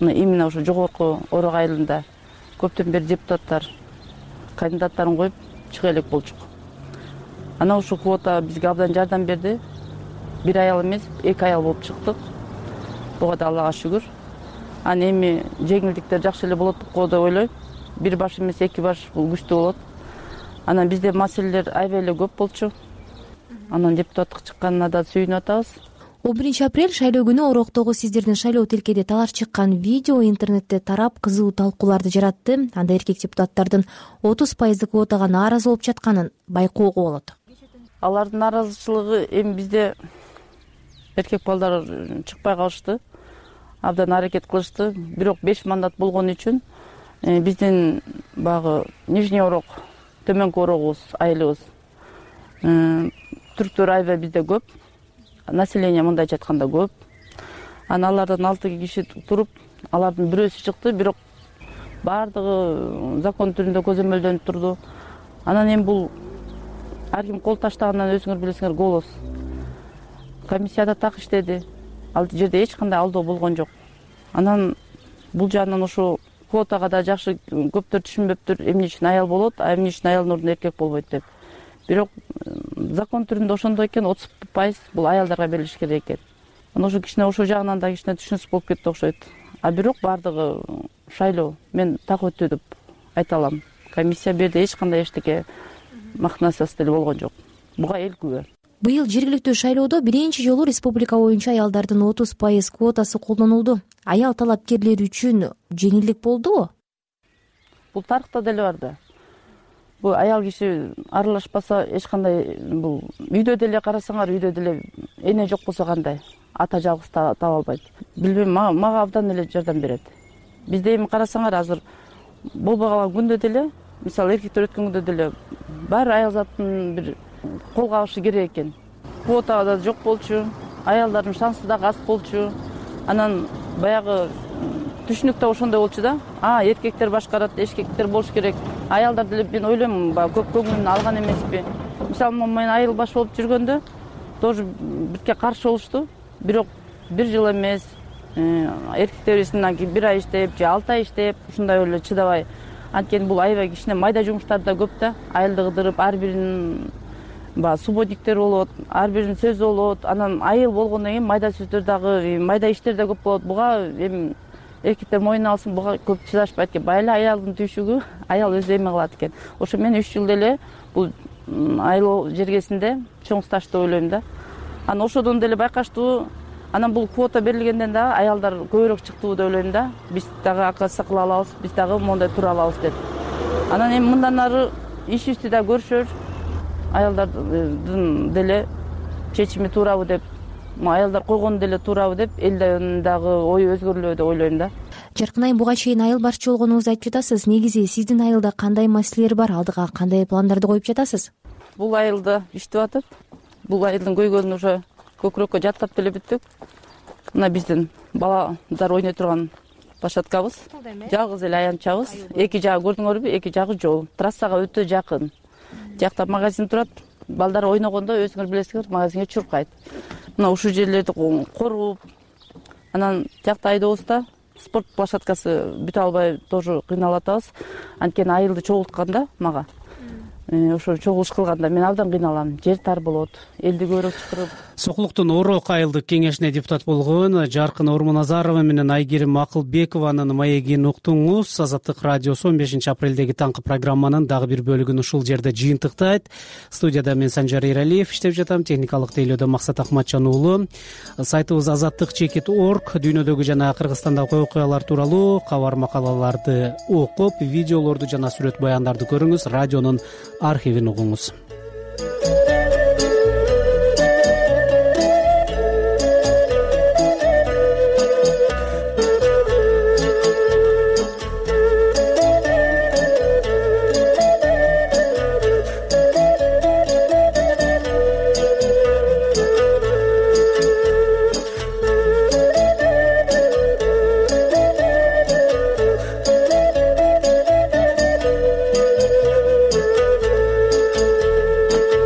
именно ошо жогорку Орок айылында көптөн бери депутаттар кандидаттарын коюп чыга элек болчук. Анан ушул квота бизге абдан жардам берди. Бир аял эмес, 2 аял болуп чыктык. Буга да Аллага шүгүр. Анан эми жеңилдиктер жакшы эле болот го деп ойлойм. Бир баш эмес, 2 баш бул күчтүү болот. Анан бизде маселелер аябай эле көп болчу. Анан депутаттык чыкканына да сүйүнүп атабыз. 11-апрель шайлоо күнү Ороктогу сиздердин шайлоо тилкеде талаш чыккан видео интернетте тарап кызуу талкууларды жаратты. Анда эркек депутаттардын 30% квотага нааразы болуп жатканын байкоого болот. Алардын нааразычылыгы эми бизде эркек балдар чыкпай калышты. Абдан аракет кылышты. Бирок 5 мандат болгон үчүн биздин багы Нижний Орок, Төмөнкү Орогубуз, айылыбыз түрктөр аябай бизде көп. Население мындайча айтканда көп. Анан алардан 6 киши туруп, алардын бирөөсү чыкты, бирок баардыгы закон түрүндө көзөмөлдөнүп турду. Анан эми бул ар ким кол таштагандан өзүңөр билесиңер голос. Комиссияда так иштеди. Ал жерде эч кандай алдоо болгон жок. Анан бул жагынан ошо квотага да жакшы көптөр түшүнбөптүр, эмне үчүн аял болот, эмне үчүн аялдын ордуна эркек болбойт деп. Бирок закон түрүндө ошондой экен, 30% бул аялдарга берилиш керек экен. Анан ошо кичине ошо жагынан да кичине түшүнүксүз болуп кетти окшойт. А бирок баардыгы шайлоо мен так өттү деп айта алам. Комиссия берди, эч кандай эчтеке махнасасы деле болгон жок. Буга эл күбө. Быйыл жергиликтүү шайлоодо биринчи жолу республика боюнча аялдардын 30% квотасы колдонулду. Аял талапкерлер үчүн жеңилдик болдубу? Бул тарыхта деле бар да. Бул аял киши аралашпаса эч кандай бул үйдө деле карасаңар, үйдө деле эне жок болсо кандай? Ата жалгыз таба албайт. Билбейм, мага абдан эле жардам берет. Бизде эми карасаңар азыр болбой калган күндө деле, мисалы эркектер өткөн күндө деле баары аял затын бир кол кабышы керек экен. Квота да жок болчу, аялдардын шансы да аз болчу. Анан баягы түшүнүк да ошондой болчу да. Эркектер башкарат, эркектер болуш керек. Аялдар деле мен ойлойм, көп көңүлүн алган эмеспи. Мисалы, мен айыл баш болуп жүргөндө тоже бирке каршы болушту. Бирок бир жыл эмес, эркектерибизден кийин 1 ай иштеп, же 6 ай иштеп, ушундай эле чыдабай. Анткени бул аябай кичине майда жумуштар да көп да. Айылды кыдырып, ар биринин субботниктер болот, ар биринин сөзү болот. Анан айыл болгондон кийин майда сөздөр дагы, майда иштер да көп болот. Буга эми эркектер мойнуна алсын, буга көп чыдашпайт экен. Байла аялдын түйшүгү, аял өзү эме кылат экен. Ошо мен 3 жыл деле бул айыл жергесинде чоң стаж деп ойлойм да. Анан ошодон деле байкаштуу. Анан бул квота берилгенден дагы аялдар көбүрөөк чыктыбы деп ойлойм да. Биз дагы акасы кыла алабыз, биз дагы мондай тура алабыз деп. Анан эми мындан ары ишибизди да көрүшөр. Аялдардын деле чечими туурабы деп, аялдар койгону деле туурабы деп, элдин дагы ою өзгөрүлөбү деп ойлойм да. Жаркын айым, буга чейин айыл башчы болгонуңузду айтып жатасыз. Негизи сиздин айылда кандай маселелер бар? Алдыга кандай пландарды коюп жатасыз? Бул айылда иштеп атып, бул айылдын көйгөйүн уже көкүрөккө жаттап деле бүттүк. Мына биздин баладар ойной турган площадкабыз. Жалгыз эле аянтчабыз. Эки жагы көрдүңөрбү? Эки жагы жол. Трассага өтө жакын. Жакта магазин турат. Балдар ойногондо өзүңөр билесиңер, магазинге чуркайт. Мына ушул жерлерди коруп, анан жакта айдообузда спорт площадкасы бүтө албай тоже кыйналып атабыз. Анткени айылды чогултканда мага ошо чогулуш кылганда мен абдан кыйналам. Жер тар болот, элди көбүрөөк чакырып. Сокулуктун Орок айылдык кеңешине депутат болгон Жаркын Ормуназарова менен Айгерим Акылбекованын маегин уктуңуз. Азаттык радиосу 15 апрелдеги таңкы программанын дагы бир бөлүгүн ушул жерде жыйынтыктайт. Студияда мен Санжар Эралиев иштеп жатам, техникалык тейлөөдө Максат Акматжан уулу. Сайтыбыз azattik.org дүйнөдөгү жана Кыргызстандагы окуялар тууралуу кабар макалаларды окуп, видеолорду жана сүрөт баяндарды көрүңүз, радионун архивин угуңуз.